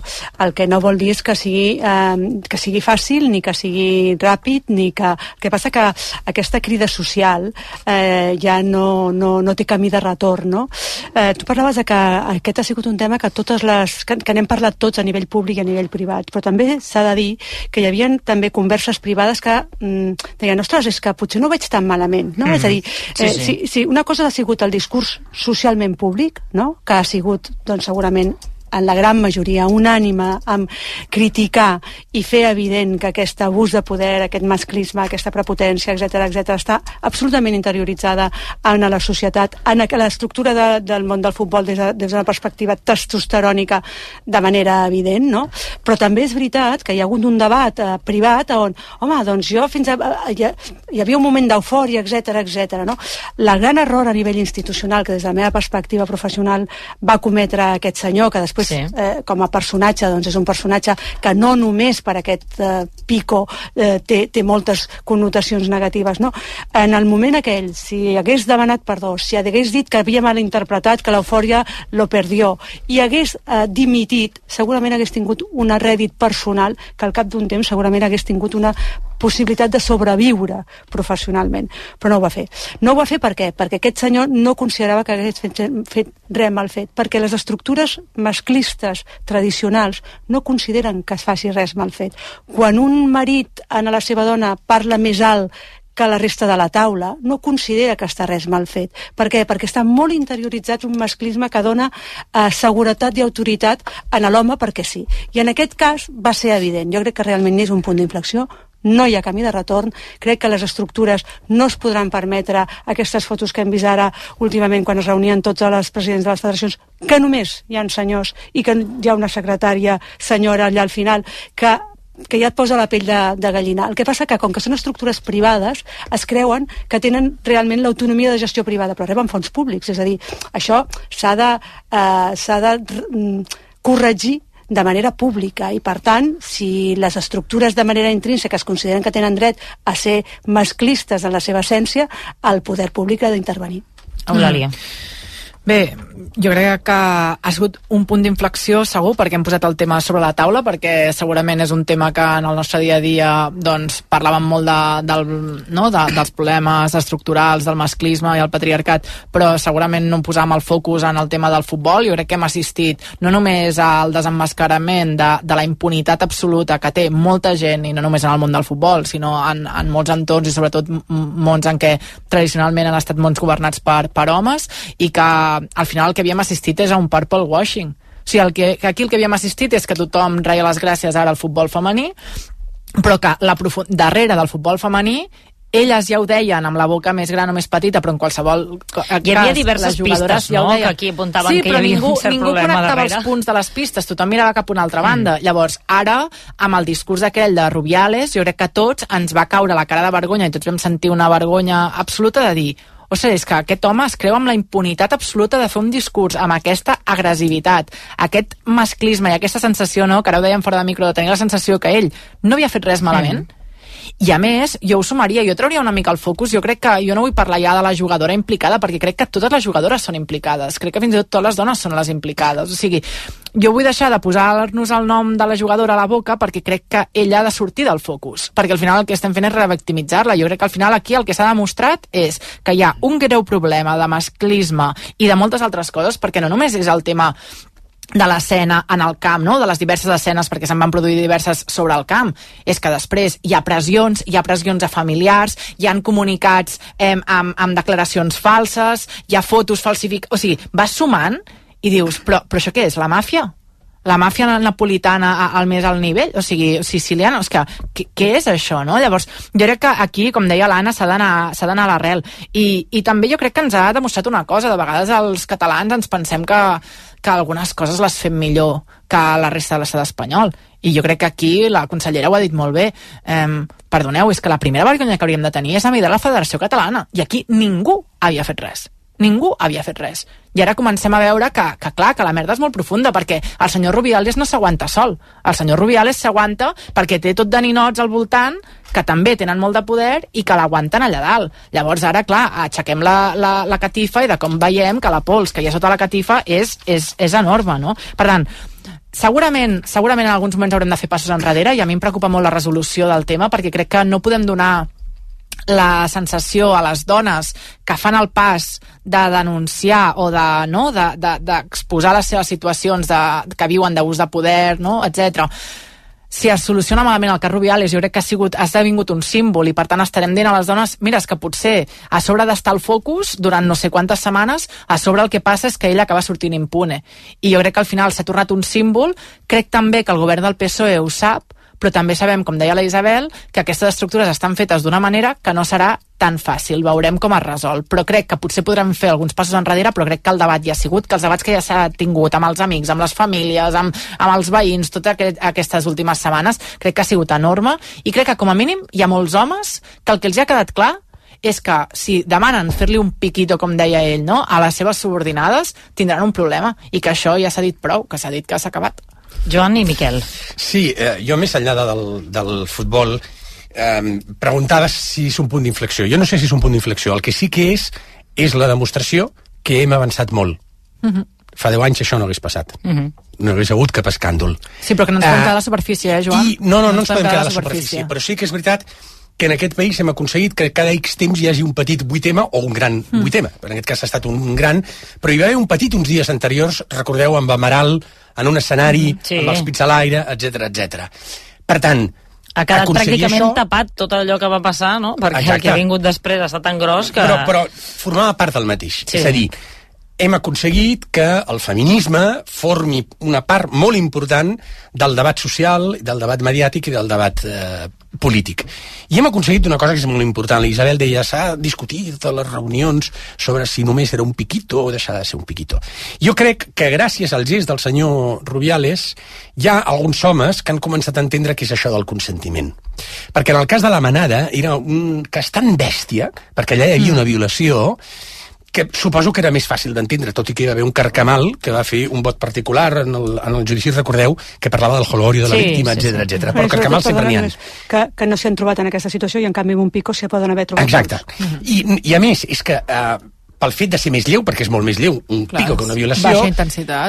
[SPEAKER 2] El que no vol dir és que sigui, eh, que sigui fàcil, ni que sigui ràpid, ni que... El que passa que aquesta crida social eh, ja no, no, no té camí de retorn, no? Eh, tu parlaves de que aquest ha sigut un tema que totes les... que, que n'hem parlat tots a nivell públic i a nivell privat, però també s'ha de dir que hi havia també converses privades que mm, deien, ostres, és que potser no ho veig tan malament, no? Mm. És a dir, eh, sí, sí. Si, si una cosa ha sigut el discurs socialment públic, no?, que ha sigut, doncs, segurament, en la gran majoria, unànime amb criticar i fer evident que aquest abús de poder, aquest masclisme, aquesta prepotència, etcètera, etcètera, està absolutament interioritzada en la societat, en l'estructura de, del món del futbol des de, des d'una perspectiva testosterònica de manera evident, no? Però també és veritat que hi ha hagut un debat eh, privat on, home, doncs jo fins a... Eh, hi, hi havia un moment d'eufòria, etcètera, etcètera, no? La gran error a nivell institucional que des de la meva perspectiva professional va cometre aquest senyor, que després sí. eh, com a personatge, doncs és un personatge que no només per aquest eh, pico eh, té, té moltes connotacions negatives, no? En el moment aquell, si hagués demanat perdó, si hagués dit que havia malinterpretat, que l'eufòria lo perdió, i hagués eh, dimitit, segurament hagués tingut un rèdit personal que al cap d'un temps segurament hagués tingut una possibilitat de sobreviure professionalment, però no ho va fer. No ho va fer per què? Perquè aquest senyor no considerava que hagués fet, fet res mal fet, perquè les estructures masclistes tradicionals no consideren que es faci res mal fet. Quan un marit a la seva dona parla més alt que la resta de la taula, no considera que està res mal fet. Per què? Perquè està molt interioritzat un masclisme que dona eh, seguretat i autoritat a l'home perquè sí. I en aquest cas va ser evident. Jo crec que realment és un punt d'inflexió, no hi ha camí de retorn, crec que les estructures no es podran permetre aquestes fotos que hem vist ara últimament quan es reunien tots els presidents de les federacions, que només hi ha senyors i que hi ha una secretària senyora allà al final, que que ja et posa la pell de, de gallina. El que passa que, com que són estructures privades, es creuen que tenen realment l'autonomia de gestió privada, però reben fons públics. És a dir, això s'ha de, eh, s'ha de mm, corregir de manera pública i, per tant, si les estructures de manera intrínseca es consideren que tenen dret a ser masclistes en la seva essència, el poder públic ha d'intervenir.
[SPEAKER 4] Eulàlia.
[SPEAKER 3] Mm. Bé, jo crec que ha sigut un punt d'inflexió segur perquè hem posat el tema sobre la taula, perquè segurament és un tema que en el nostre dia a dia doncs, parlàvem molt de, del, no, de, dels problemes estructurals, del masclisme i el patriarcat, però segurament no posàvem el focus en el tema del futbol. Jo crec que hem assistit no només al desemmascarament de, de la impunitat absoluta que té molta gent, i no només en el món del futbol, sinó en, en molts entorns i sobretot mons en què tradicionalment han estat mons governats per, per homes, i que al final el que havíem assistit és a un purple washing. O sigui, el que, aquí el que havíem assistit és que tothom reia les gràcies ara al futbol femení, però que la profund... darrere del futbol femení elles ja ho deien amb la boca més gran o més petita, però en qualsevol cas
[SPEAKER 4] hi havia diverses pistes,
[SPEAKER 3] ja
[SPEAKER 4] no?, que aquí apuntaven
[SPEAKER 3] sí,
[SPEAKER 4] que hi havia
[SPEAKER 3] ningú,
[SPEAKER 4] un cert
[SPEAKER 3] ningú
[SPEAKER 4] problema
[SPEAKER 3] connectava
[SPEAKER 4] darrere.
[SPEAKER 3] els punts de les pistes, tothom mirava cap a una altra banda. Mm. Llavors, ara, amb el discurs aquell de Rubiales, jo crec que a tots ens va caure la cara de vergonya i tots vam sentir una vergonya absoluta de dir, o sigui, és que aquest home es creu amb la impunitat absoluta de fer un discurs amb aquesta agressivitat, aquest masclisme i aquesta sensació, no?, que ara ho dèiem fora de micro, de tenir la sensació que ell no havia fet res malament. Mm. I a més, jo ho sumaria, jo trauria una mica el focus, jo crec que jo no vull parlar ja de la jugadora implicada, perquè crec que totes les jugadores són implicades, crec que fins i tot totes les dones són les implicades, o sigui, jo vull deixar de posar-nos el nom de la jugadora a la boca perquè crec que ella ha de sortir del focus, perquè al final el que estem fent és revictimitzar-la. Jo crec que al final aquí el que s'ha demostrat és que hi ha un greu problema de masclisme i de moltes altres coses, perquè no només és el tema de l'escena en el camp, no?, de les diverses escenes, perquè se'n van produir diverses sobre el camp, és que després hi ha pressions, hi ha pressions a familiars, hi han comunicats eh, amb, amb declaracions falses, hi ha fotos falsificades, o sigui, vas sumant i dius, però, però això què és, la màfia? La màfia napolitana al més alt nivell, o sigui, siciliana, és que, què, què és això, no? Llavors, jo crec que aquí, com deia l'Anna, s'ha d'anar s'ha d'anar a l'arrel. I, I també jo crec que ens ha demostrat una cosa, de vegades els catalans ens pensem que, que algunes coses les fem millor que la resta de l'estat espanyol. I jo crec que aquí la consellera ho ha dit molt bé. Eh, perdoneu, és que la primera vergonya que hauríem de tenir és a mirar la Federació Catalana. I aquí ningú havia fet res. ningú havia fet res. I ara comencem a veure que, que clar, que la merda és molt profunda, perquè el senyor Rubiales no s'aguanta sol. El senyor Rubiales s'aguanta perquè té tot de ninots al voltant que també tenen molt de poder i que l'aguanten allà dalt. Llavors ara, clar, aixequem la, la, la catifa i de com veiem que la pols que hi ha sota la catifa és, és, és enorme, no? Per tant, segurament, segurament en alguns moments haurem de fer passos enrere i a mi em preocupa molt la resolució del tema perquè crec que no podem donar la sensació a les dones que fan el pas de denunciar o de, no, de, de, d'exposar les seves situacions de, que viuen d'abús de poder, no, etcètera. Si es soluciona malament el cas Rubiales, jo crec que ha sigut, ha esdevingut un símbol i per tant estarem dient a les dones, mira, és que potser a sobre d'estar al focus durant no sé quantes setmanes, a sobre el que passa és que ella acaba sortint impune. I jo crec que al final s'ha tornat un símbol, crec també que el govern del P S O E ho sap, però també sabem, com deia la Isabel, que aquestes estructures estan fetes d'una manera que no serà tan fàcil, veurem com es resol. Però crec que potser podrem fer alguns passos enrere, però crec que el debat ja ha sigut, que els debats que ja s'ha tingut amb els amics, amb les famílies, amb, amb els veïns, totes aquest, aquestes últimes setmanes, crec que ha sigut enorme, i crec que com a mínim hi ha molts homes que el que els ha quedat clar és que si demanen fer-li un piquito, com deia ell, no, a les seves subordinades, tindran un problema, i que això ja s'ha dit prou, que s'ha dit que s'ha acabat.
[SPEAKER 4] Joan i Miquel.
[SPEAKER 1] Sí, eh, jo més enllà del, del futbol eh, preguntaves si és un punt d'inflexió. Jo no sé si és un punt d'inflexió. El que sí que és, és la demostració que hem avançat molt. Uh-huh. Fa deu anys això no hagués passat. Uh-huh. No hagués hagut cap escàndol.
[SPEAKER 3] Sí, però que no ens podem quedar a la superfície, eh, Joan?
[SPEAKER 1] I, no, no, no, no ens podem quedar a la superfície. Però sí que és veritat que en aquest país hem aconseguit que cada X temps hi hagi un petit vuitema o un gran mm. vuitema. En aquest cas ha estat un gran, però hi va haver un petit uns dies anteriors, recordeu, amb Amaral, en un escenari, mm, sí. amb els pits a l'aire, etcètera, etcètera. Per tant,
[SPEAKER 4] ha quedat pràcticament
[SPEAKER 1] això...
[SPEAKER 4] tapat tot allò que va passar, no? Perquè Exacte. El que ha vingut després ha estat tan gros que...
[SPEAKER 1] Però, però formava part del mateix. Sí. És a dir, hem aconseguit que el feminisme formi una part molt important del debat social, del debat mediàtic i del debat eh, polític. I hem aconseguit una cosa que és molt important. L'Isabel deia, s'ha discutit a les reunions sobre si només era un piquito o deixar de ser un piquito. Jo crec que gràcies al gest del senyor Rubiales hi ha alguns homes que han començat a entendre què és això del consentiment. Perquè en el cas de la Manada era un cas tan bèstia, perquè allà hi havia una violació, que suposo que era més fàcil d'entendre, tot i que hi va haver un carcamal que va fer un vot particular en el, en el judici, recordeu, que parlava del holgorio de la sí, víctima, etcètera, sí, sí. etcètera. Però carcamal sempre n'hi ha.
[SPEAKER 2] Que, que no s'han trobat en aquesta situació i en canvi amb un pico s'hi poden haver trobat.
[SPEAKER 1] Exacte. Uh-huh. I, I a més, és que uh, pel fet de ser més lleu, perquè és molt més lleu un Clar, pico que una violació,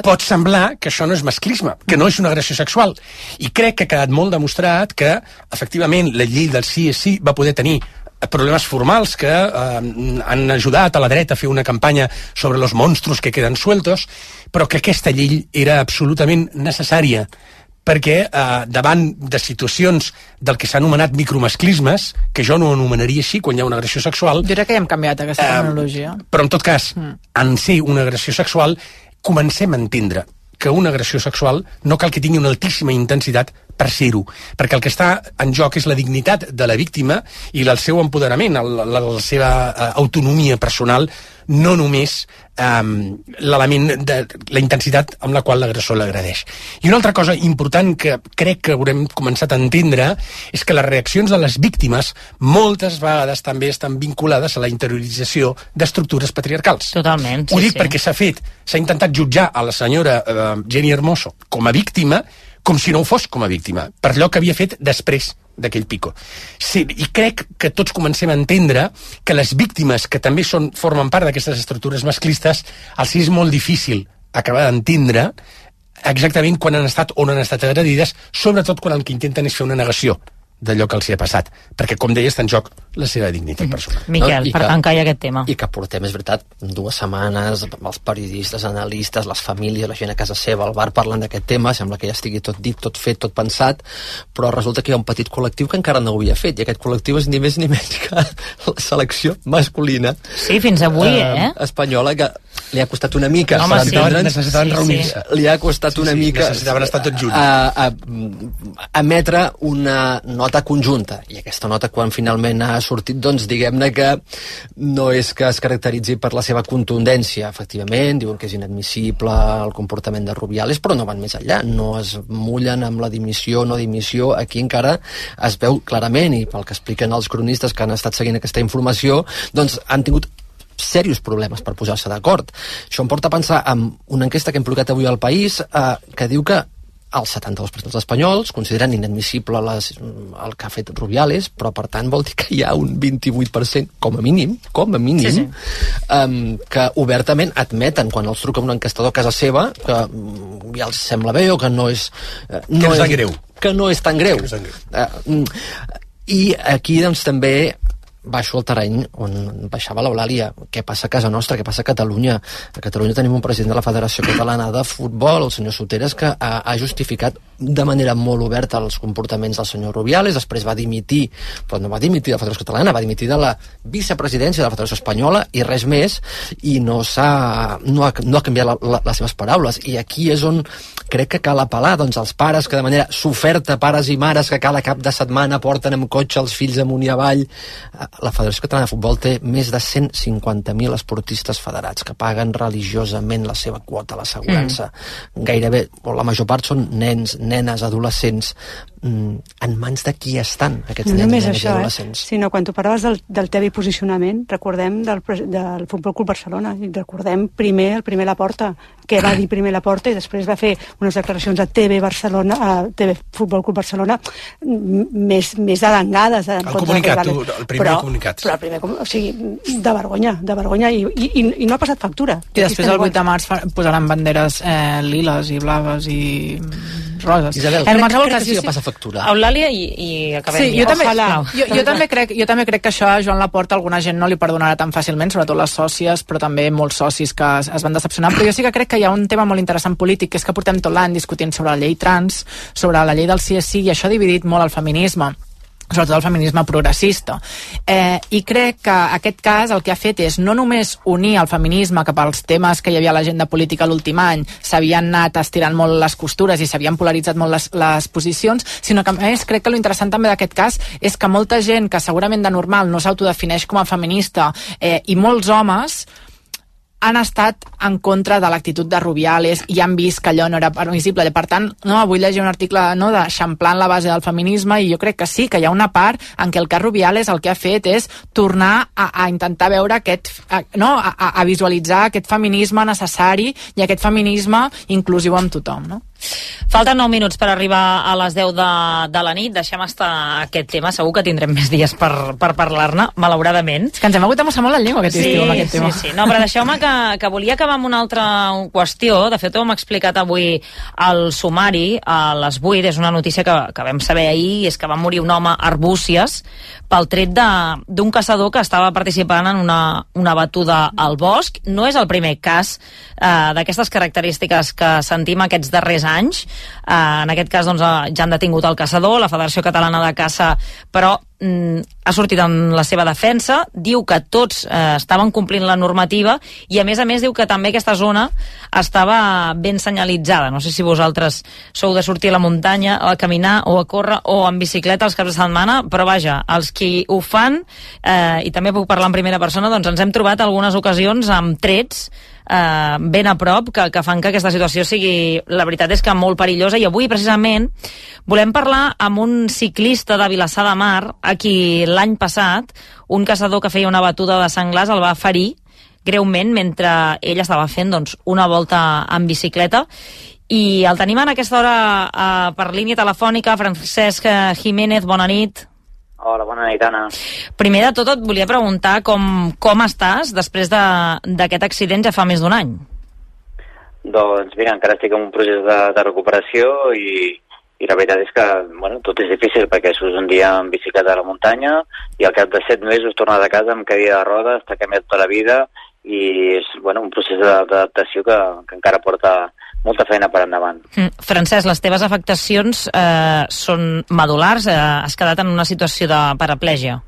[SPEAKER 1] pot semblar que això no és masclisme, que no és una agressió sexual. I crec que ha quedat molt demostrat que, efectivament, la llei del sí és sí va poder tenir problemes formals que eh, han ajudat a la dreta a fer una campanya sobre los monstruos que queden sueltos, però que aquesta llei era absolutament necessària perquè eh, davant de situacions del que s'ha anomenat micromasclismes, que jo no anomenaria així quan hi ha una agressió sexual...
[SPEAKER 3] Jo crec que ja hem canviat aquesta eh, terminologia.
[SPEAKER 1] Però en tot cas, mm. en ser una agressió sexual, comencem a entendre que una agressió sexual no cal que tingui una altíssima intensitat per ser-ho, perquè el que està en joc és la dignitat de la víctima i el seu empoderament, la, la, la seva uh, autonomia personal, no només um, l'element de la intensitat amb la qual l'agressor l'agredeix. I una altra cosa important que crec que haurem començat a entendre és que les reaccions de les víctimes moltes vegades també estan vinculades a la interiorització d'estructures patriarcals.
[SPEAKER 4] Totalment, sí,
[SPEAKER 1] Ho dic
[SPEAKER 4] sí.
[SPEAKER 1] perquè s'ha fet, s'ha intentat jutjar a la senyora uh, Jenny Hermoso com a víctima, com si no ho fos com a víctima, per allò que havia fet després d'aquell pico. Sí, i crec que tots comencem a entendre que les víctimes, que també són, formen part d'aquestes estructures masclistes, els és molt difícil acabar d'entendre exactament quan han estat o no han estat agredides, sobretot quan el que intenten és fer una negació d'allò que els hi ha passat, perquè, com deia, està en joc la seva dignitat mm-hmm. personal.
[SPEAKER 4] Miquel, no? per tancar ja aquest tema.
[SPEAKER 5] I que portem, és veritat, dues setmanes, els periodistes, analistes, les famílies, la gent a casa seva, al bar, parlant d'aquest tema, sembla que ja estigui tot dit, tot fet, tot pensat, però resulta que hi ha un petit col·lectiu que encara no ho havia fet, i aquest col·lectiu és ni més ni menys que la selecció masculina.
[SPEAKER 4] Sí, fins avui, eh?
[SPEAKER 5] eh espanyola, que li ha costat una mica.
[SPEAKER 4] Home, sí.
[SPEAKER 1] Necessitaven sí, reunir.
[SPEAKER 5] Sí. Li ha costat
[SPEAKER 1] sí,
[SPEAKER 5] una
[SPEAKER 1] sí,
[SPEAKER 5] mica...
[SPEAKER 1] Necessitaven estar tots junts.
[SPEAKER 5] A, a, a emetre una nota conjunta, i aquesta nota quan finalment ha sortit, doncs diguem-ne que no és que es caracteritzi per la seva contundència, efectivament, diuen que és inadmissible el comportament de Rubiales, però no van més enllà, no es mullen amb la dimissió o no dimissió, aquí encara es veu clarament, i pel que expliquen els cronistes que han estat seguint aquesta informació, doncs han tingut serios problemes per posar-se d'acord. Això em porta a pensar en una enquesta que hem publicat avui al País eh, que diu que el setanta-dos per cent dels espanyols consideren inadmissible les, el que ha fet Rubiales, però per tant vol dir que hi ha un vint-i-vuit per cent, com a mínim, com a mínim, sí, sí. Um, que obertament admeten, quan els truca un enquestador a casa seva, que um, ja els sembla bé o que no és... Uh, no
[SPEAKER 1] que és,
[SPEAKER 5] és
[SPEAKER 1] greu.
[SPEAKER 5] Que no és tan greu.
[SPEAKER 1] És tan greu.
[SPEAKER 5] Uh, I aquí, doncs, també baixo al terreny on baixava l'Eulàlia. Què passa a casa nostra? Què passa a Catalunya? A Catalunya tenim un president de la Federació Catalana de Futbol, el senyor Soteras, que ha, ha justificat de manera molt oberta els comportaments del senyor Rubiales, després va dimitir, però no va dimitir de la Federació Catalana, va dimitir de la vicepresidència de la Federació Espanyola i res més, i no s'ha no ha, no ha canviat la, la, les seves paraules. I aquí és on crec que cal apel·lar, doncs, als pares que de manera soferta, pares i mares que cada cap de setmana porten amb cotxe els fills amunt i avall. La Federació Catalana de Futbol té més de cent cinquanta mil esportistes federats que paguen religiosament la seva quota a l'assegurança. Mm. Gairebé, o la major part són nens, nenes, adolescents. Mm, en mans de qui estan aquests
[SPEAKER 2] no
[SPEAKER 5] nens, nenes
[SPEAKER 2] això,
[SPEAKER 5] i adolescents?
[SPEAKER 2] Eh? Sinó quan tu parlaves del, del tevi posicionament, recordem del, del Futbol Club Barcelona, i recordem primer el primer Laporta, que va dir primer Laporta i després va fer unes declaracions a T V Barcelona, a T V Futbol Club Barcelona, més, més arengades.
[SPEAKER 1] El comunicat, tu, el primer
[SPEAKER 2] però,
[SPEAKER 1] comunicat.
[SPEAKER 2] Però el primer, o sigui, de vergonya, de vergonya, i, i, i no ha passat factura.
[SPEAKER 3] I després el vuit de març posaran banderes eh, liles i blaves i roses.
[SPEAKER 5] Isabel,
[SPEAKER 3] en qualsevol
[SPEAKER 5] cas,
[SPEAKER 3] sí,
[SPEAKER 5] sí, passa factura.
[SPEAKER 4] Eulàlia i, i acabem.
[SPEAKER 3] Sí, jo també,
[SPEAKER 4] Ojalà.
[SPEAKER 3] jo, jo, també crec, jo també crec que això a Joan Laporta alguna gent no li perdonarà tan fàcilment, sobretot les sòcies, però també molts socis que es, es van decepcionar. Però jo sí que crec que hi ha un tema molt interessant polític, que és que portem tot l'any discutint sobre la llei trans, sobre la llei del sí és sí, i això ha dividit molt el feminisme, sobretot el feminisme progressista. Eh, I crec que aquest cas el que ha fet és no només unir el feminisme cap als temes que hi havia a l'agenda política l'últim any, s'havien anat estirant molt les costures i s'havien polaritzat molt les, les posicions, sinó que a més crec que l'interessant també d'aquest cas és que molta gent que segurament de normal no s'autodefineix com a feminista eh, i molts homes han estat en contra de l'actitud de Rubiales i han vist que allò no era permissible. Per tant, no, avui llegir un article no, de eixamplant la base del feminisme, i jo crec que sí, que hi ha una part en què el cas Rubiales el que ha fet és tornar a, a intentar veure aquest, a, no, a, a visualitzar aquest feminisme necessari i aquest feminisme inclusiu amb tothom, no?
[SPEAKER 4] Falten nou minuts per arribar a les deu de, de la nit. Deixem estar aquest tema. Segur que tindrem més dies per, per parlar-ne, malauradament.
[SPEAKER 3] És que ens hem hagut de mossar molt la llengua aquest
[SPEAKER 4] sí,
[SPEAKER 3] estiu amb aquest tema.
[SPEAKER 4] Sí, sí. No, però deixeu-me que, que volia acabar amb una altra qüestió. De fet, ho hem explicat avui al sumari a les vuit. És una notícia que, que vam saber ahir, és que va morir un home a Arbúcies pel tret d'un caçador que estava participant en una, una batuda al bosc. No és el primer cas eh, d'aquestes característiques que sentim aquests darrers anys. Eh, en aquest cas doncs, ja han detingut el caçador, la Federació Catalana de Caça, però mm, ha sortit en la seva defensa, diu que tots eh, estaven complint la normativa i a més a més diu que també aquesta zona estava ben senyalitzada. No sé si vosaltres sou de sortir a la muntanya a caminar o a córrer o en bicicleta els caps de setmana, però vaja, els qui ho fan, eh, i també puc parlar en primera persona, doncs ens hem trobat algunes ocasions amb trets eh, ben a prop que, que fan que aquesta situació sigui, la veritat és que molt perillosa. I avui precisament volem parlar amb un ciclista de Vilassar de Mar a qui l'any passat un caçador que feia una batuda de senglars el va ferir greument mentre ell estava fent doncs, una volta en bicicleta, i el tenim en aquesta hora eh, per línia telefònica. Francesc Jiménez, bona nit.
[SPEAKER 13] Hola, bona nit, Anna.
[SPEAKER 4] Primer de tot et volia preguntar com, com estàs després d'aquest accident ja fa més d'un any.
[SPEAKER 13] Doncs mira, encara estic en un procés de, de recuperació i, i la veritat és que bueno, tot és difícil perquè surts un dia en bicicleta a la muntanya i al cap de set mesos tornar de casa amb cadira de rodes, t'ha canviat tota la vida i és bueno, un procés d'adaptació que, que encara porta molta feina per endavant.
[SPEAKER 4] Mm. Francesc, les teves afectacions eh, són medulars, eh, has quedat en una situació de paraplegia.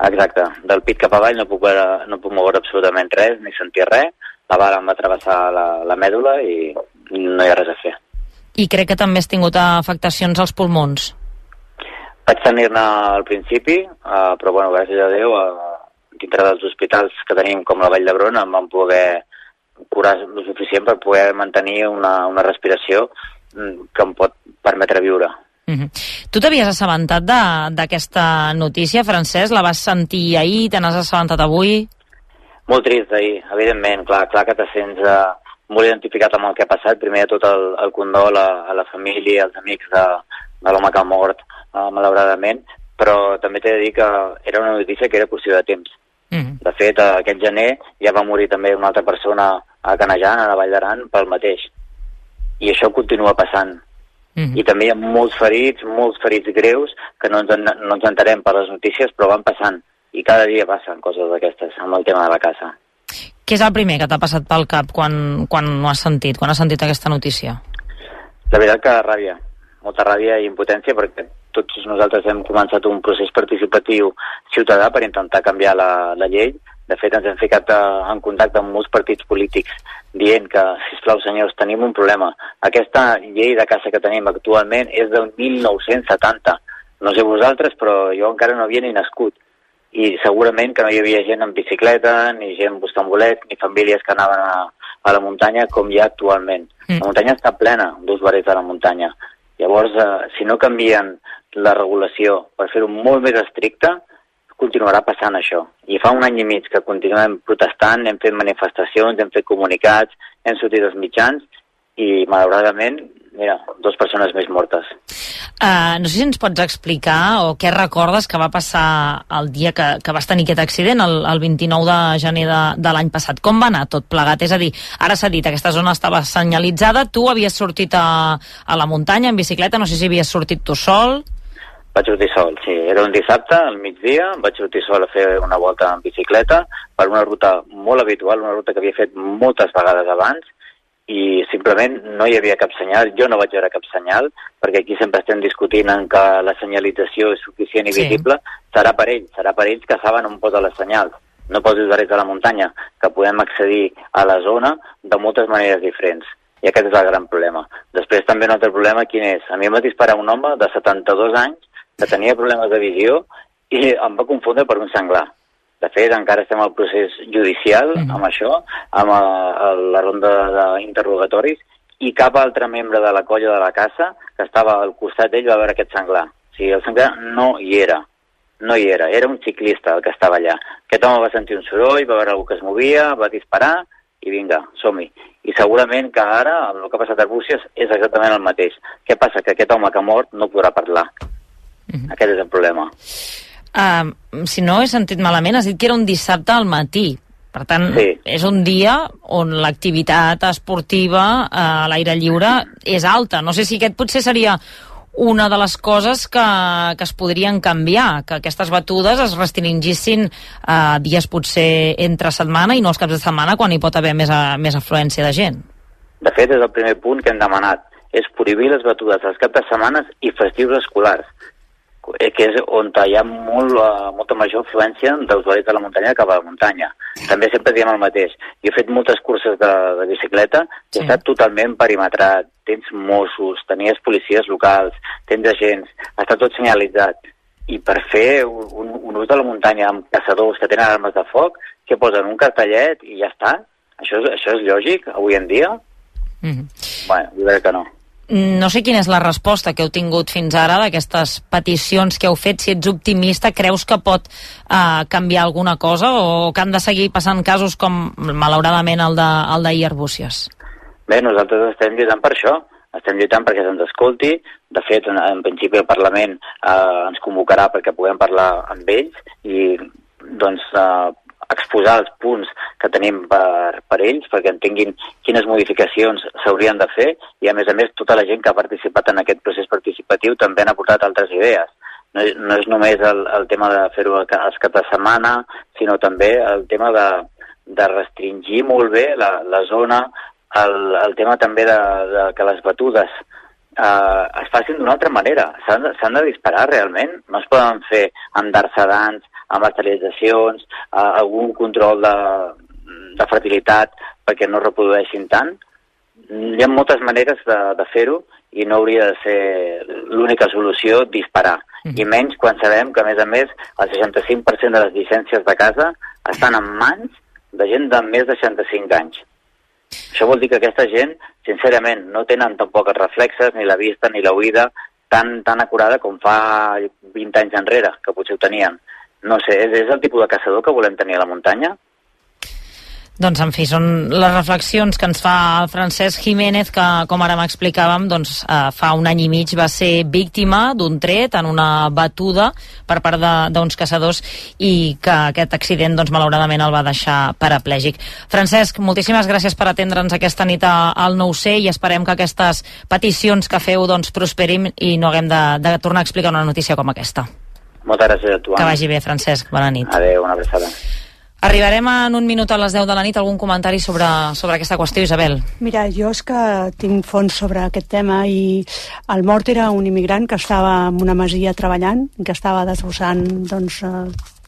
[SPEAKER 13] Exacte, del pit cap avall no puc, veure, no puc moure absolutament res, ni sentir res, la bala em va travessar la, la mèdula i no hi ha res a fer.
[SPEAKER 4] I crec que també has tingut afectacions als pulmons.
[SPEAKER 13] Vaig tenir-ne al principi, uh, però bueno, gràcies a Déu, uh, dintre dels hospitals que tenim com la Vall d'Hebron em van poder curar el suficient per poder mantenir una, una respiració que em pot permetre viure.
[SPEAKER 4] Mm-hmm. Tu t'havies assabentat d'aquesta notícia, Francesc? La vas sentir ahir? Te n'has assabentat avui?
[SPEAKER 13] Molt trist ahir, evidentment. Clar, clar que te sents eh, molt identificat amb el que ha passat. Primer de tot el, el condol a, a la família, als amics de, de l'home que ha mort, eh, malauradament, però també t'he de dir que era una notícia que era qüestió de temps. Mm. De fet, aquest gener ja va morir també una altra persona a Canejan, a la Vall d'Aran, pel mateix. I això continua passant. Mm. I també hi ha molts ferits, molts ferits greus, que no ens, no ens enterem per les notícies, però van passant. I cada dia passen coses d'aquestes amb el tema de la casa.
[SPEAKER 4] Què és el primer que t'ha passat pel cap quan, quan ho has sentit, quan has sentit aquesta notícia?
[SPEAKER 13] La veritat que ràbia, molta ràbia i impotència, perquè tots nosaltres hem començat un procés participatiu ciutadà per intentar canviar la, la llei. De fet, ens hem ficat en contacte amb molts partits polítics dient que, sisplau, senyors, tenim un problema. Aquesta llei de caça que tenim actualment és del mil nou-cents setanta. No sé vosaltres, però jo encara no havia ni nascut. I segurament que no hi havia gent en bicicleta, ni gent buscant bolets, ni famílies que anaven a, a la muntanya com hi ha actualment. Mm. La muntanya està plena d'usuaris de la muntanya. Llavors, eh, si no canvien la regulació per fer-ho molt més estricte, continuarà passant això. I fa un any i mig que continuem protestant, hem fet manifestacions, hem fet comunicats, hem sortit als mitjans i, malauradament, mira, dues persones més mortes.
[SPEAKER 4] Uh, no sé si ens pots explicar o què recordes que va passar el dia que, que vas tenir aquest accident, el, el vint-i-nou de gener de, de l'any passat. Com va anar tot plegat? És a dir, ara s'ha dit, aquesta zona estava senyalitzada, tu havies sortit a, a la muntanya en bicicleta, no sé si havies sortit tu sol...
[SPEAKER 13] Vaig sortir sol, sí. Era un dissabte, al migdia, vaig sortir sol a fer una volta en bicicleta per una ruta molt habitual, una ruta que havia fet moltes vegades abans, i simplement no hi havia cap senyal. Jo no vaig veure cap senyal, perquè aquí sempre estem discutint en que la senyalització és suficient i
[SPEAKER 4] Sí.
[SPEAKER 13] visible. Serà per ells, serà per ells que saben on posa les senyals, no pels usuaris de la muntanya, que podem accedir a la zona de moltes maneres diferents. I aquest és el gran problema. Després també un altre problema, quin és? A mi em va disparar un home de setanta-dos anys que tenia problemes de visió i em va confondre per un senglar. De fet, encara estem al procés judicial mm-hmm. amb això, amb a, a la ronda d'interrogatoris, i cap altre membre de la colla de la caça que estava al costat d'ell va veure aquest senglar. O sigui, el senglar no hi era. No hi era. Era un ciclista el que estava allà. Aquest home va sentir un soroll, va veure algú que es movia, va disparar i vinga, som-hi. I segurament que ara, amb el que ha passat a Arbúcies, és exactament el mateix. Què passa? Que aquest home que ha mort no podrà parlar. Mm-hmm. Aquest és el problema.
[SPEAKER 4] Uh, si no he sentit malament, has dit que era un dissabte al matí. Per tant, sí. És un dia on l'activitat esportiva uh, a l'aire lliure és alta. No sé si aquest potser seria una de les coses que, que es podrien canviar, que aquestes batudes es restringissin uh, dies potser entre setmana i no els caps de setmana, quan hi pot haver més, a, més afluència de gent.
[SPEAKER 13] De fet, és el primer punt que hem demanat. És prohibir les batudes als caps de setmanes i festius escolars, que és on hi ha molt, uh, molta major afluència d'usuaris de la muntanya cap a la muntanya. També sempre diem el mateix. Jo he fet moltes curses de, de bicicleta i sí. He estat totalment perimetrat. Tens Mossos, tenies policies locals, tens agents, està tot senyalitzat. I per fer un, un ús de la muntanya amb caçadors que tenen armes de foc, que posen un cartellet i ja està. Això és, això és lògic avui en dia? Mm-hmm. Bueno, jo crec que no.
[SPEAKER 4] No sé quina és la resposta que heu tingut fins ara d'aquestes peticions que heu fet. Si ets optimista, creus que pot uh, canviar alguna cosa o que han de seguir passant casos com, malauradament, el d'ahir a Arbúcies?
[SPEAKER 13] Bé, nosaltres estem lluitant per això. Estem lluitant perquè se'ns escolti. De fet, en, en principi el Parlament uh, ens convocarà perquè puguem parlar amb ells i doncs uh, exposar els punts que tenim per, per ells, perquè entenguin quines modificacions s'haurien de fer, i a més a més tota la gent que ha participat en aquest procés participatiu també han aportat altres idees. No, no és només el, el tema de fer-ho als caps de setmana, sinó també el tema de, de restringir molt bé la, la zona, el, el tema també de, de que les batudes eh, es facin d'una altra manera. S'han de, s'han de disparar realment, no es poden fer amb dards sedants, amb esterilitzacions, eh, algun control de, de fertilitat perquè no reprodueixin tant. Hi ha moltes maneres de, de fer-ho i no hauria de ser l'única solució disparar. Mm. I menys quan sabem que, a més a més, el seixanta-cinc per cent de les llicències de casa estan en mans de gent de més de seixanta-cinc anys. Això vol dir que aquesta gent, sincerament, no tenen tampoc els reflexes, ni la vista, ni l'oïda tan, tan acurada com fa vint anys enrere, que potser ho tenien. No sé, és, és el tipus de caçador que volem tenir a la muntanya?
[SPEAKER 4] Doncs, en fi, són les reflexions que ens fa Francesc Jiménez, que, com ara m'explicàvem, doncs, eh, fa un any i mig va ser víctima d'un tret en una batuda per part d'uns caçadors i que aquest accident, doncs, malauradament el va deixar paraplègic. Francesc, moltíssimes gràcies per atendre'ns aquesta nit al nou C i esperem que aquestes peticions que feu, doncs, prosperin i no haguem de, de tornar a explicar una notícia com aquesta.
[SPEAKER 13] Moltes gràcies a tu.
[SPEAKER 4] Que vagi bé, Francesc. Bona nit.
[SPEAKER 13] Adéu, una abraçada.
[SPEAKER 4] Arribarem en un minut a les deu de la nit. Algun comentari sobre, sobre aquesta qüestió, Isabel?
[SPEAKER 2] Mira, jo és que tinc fons sobre aquest tema i el mort era un immigrant que estava en una masia treballant, que estava desbossant, doncs,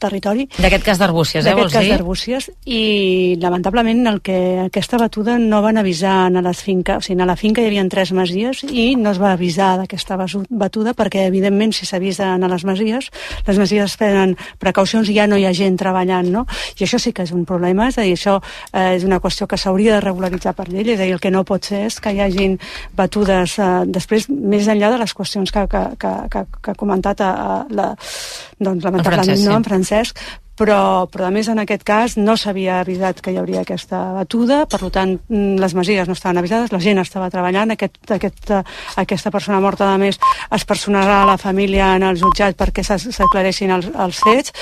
[SPEAKER 2] territori.
[SPEAKER 4] D'aquest cas d'Arbúcies, eh, vols dir?
[SPEAKER 2] D'aquest cas d'Arbúcies, i lamentablement el que aquesta batuda no van avisar a les finques, o sigui, a la finca hi havia tres masies i no es va avisar d'aquesta batuda perquè, evidentment, si s'avisa a les masies, les masies prenen precaucions i ja no hi ha gent treballant, no? I això sí que és un problema, és a dir, això eh, és una qüestió que s'hauria de regularitzar per llei, és a dir, el que no pot ser és que hi hagin batudes eh, després, més enllà de les qüestions que, que, que, que, que ha comentat a, a la, doncs, lamentablement, no, en Francesc, però, però a més en aquest cas no s'havia avisat que hi hauria aquesta batuda, per tant les masies no estaven avisades, la gent estava treballant, aquest, aquest, aquesta persona morta a més es personarà a la família en el jutjat perquè s'aclareixin els, els fets.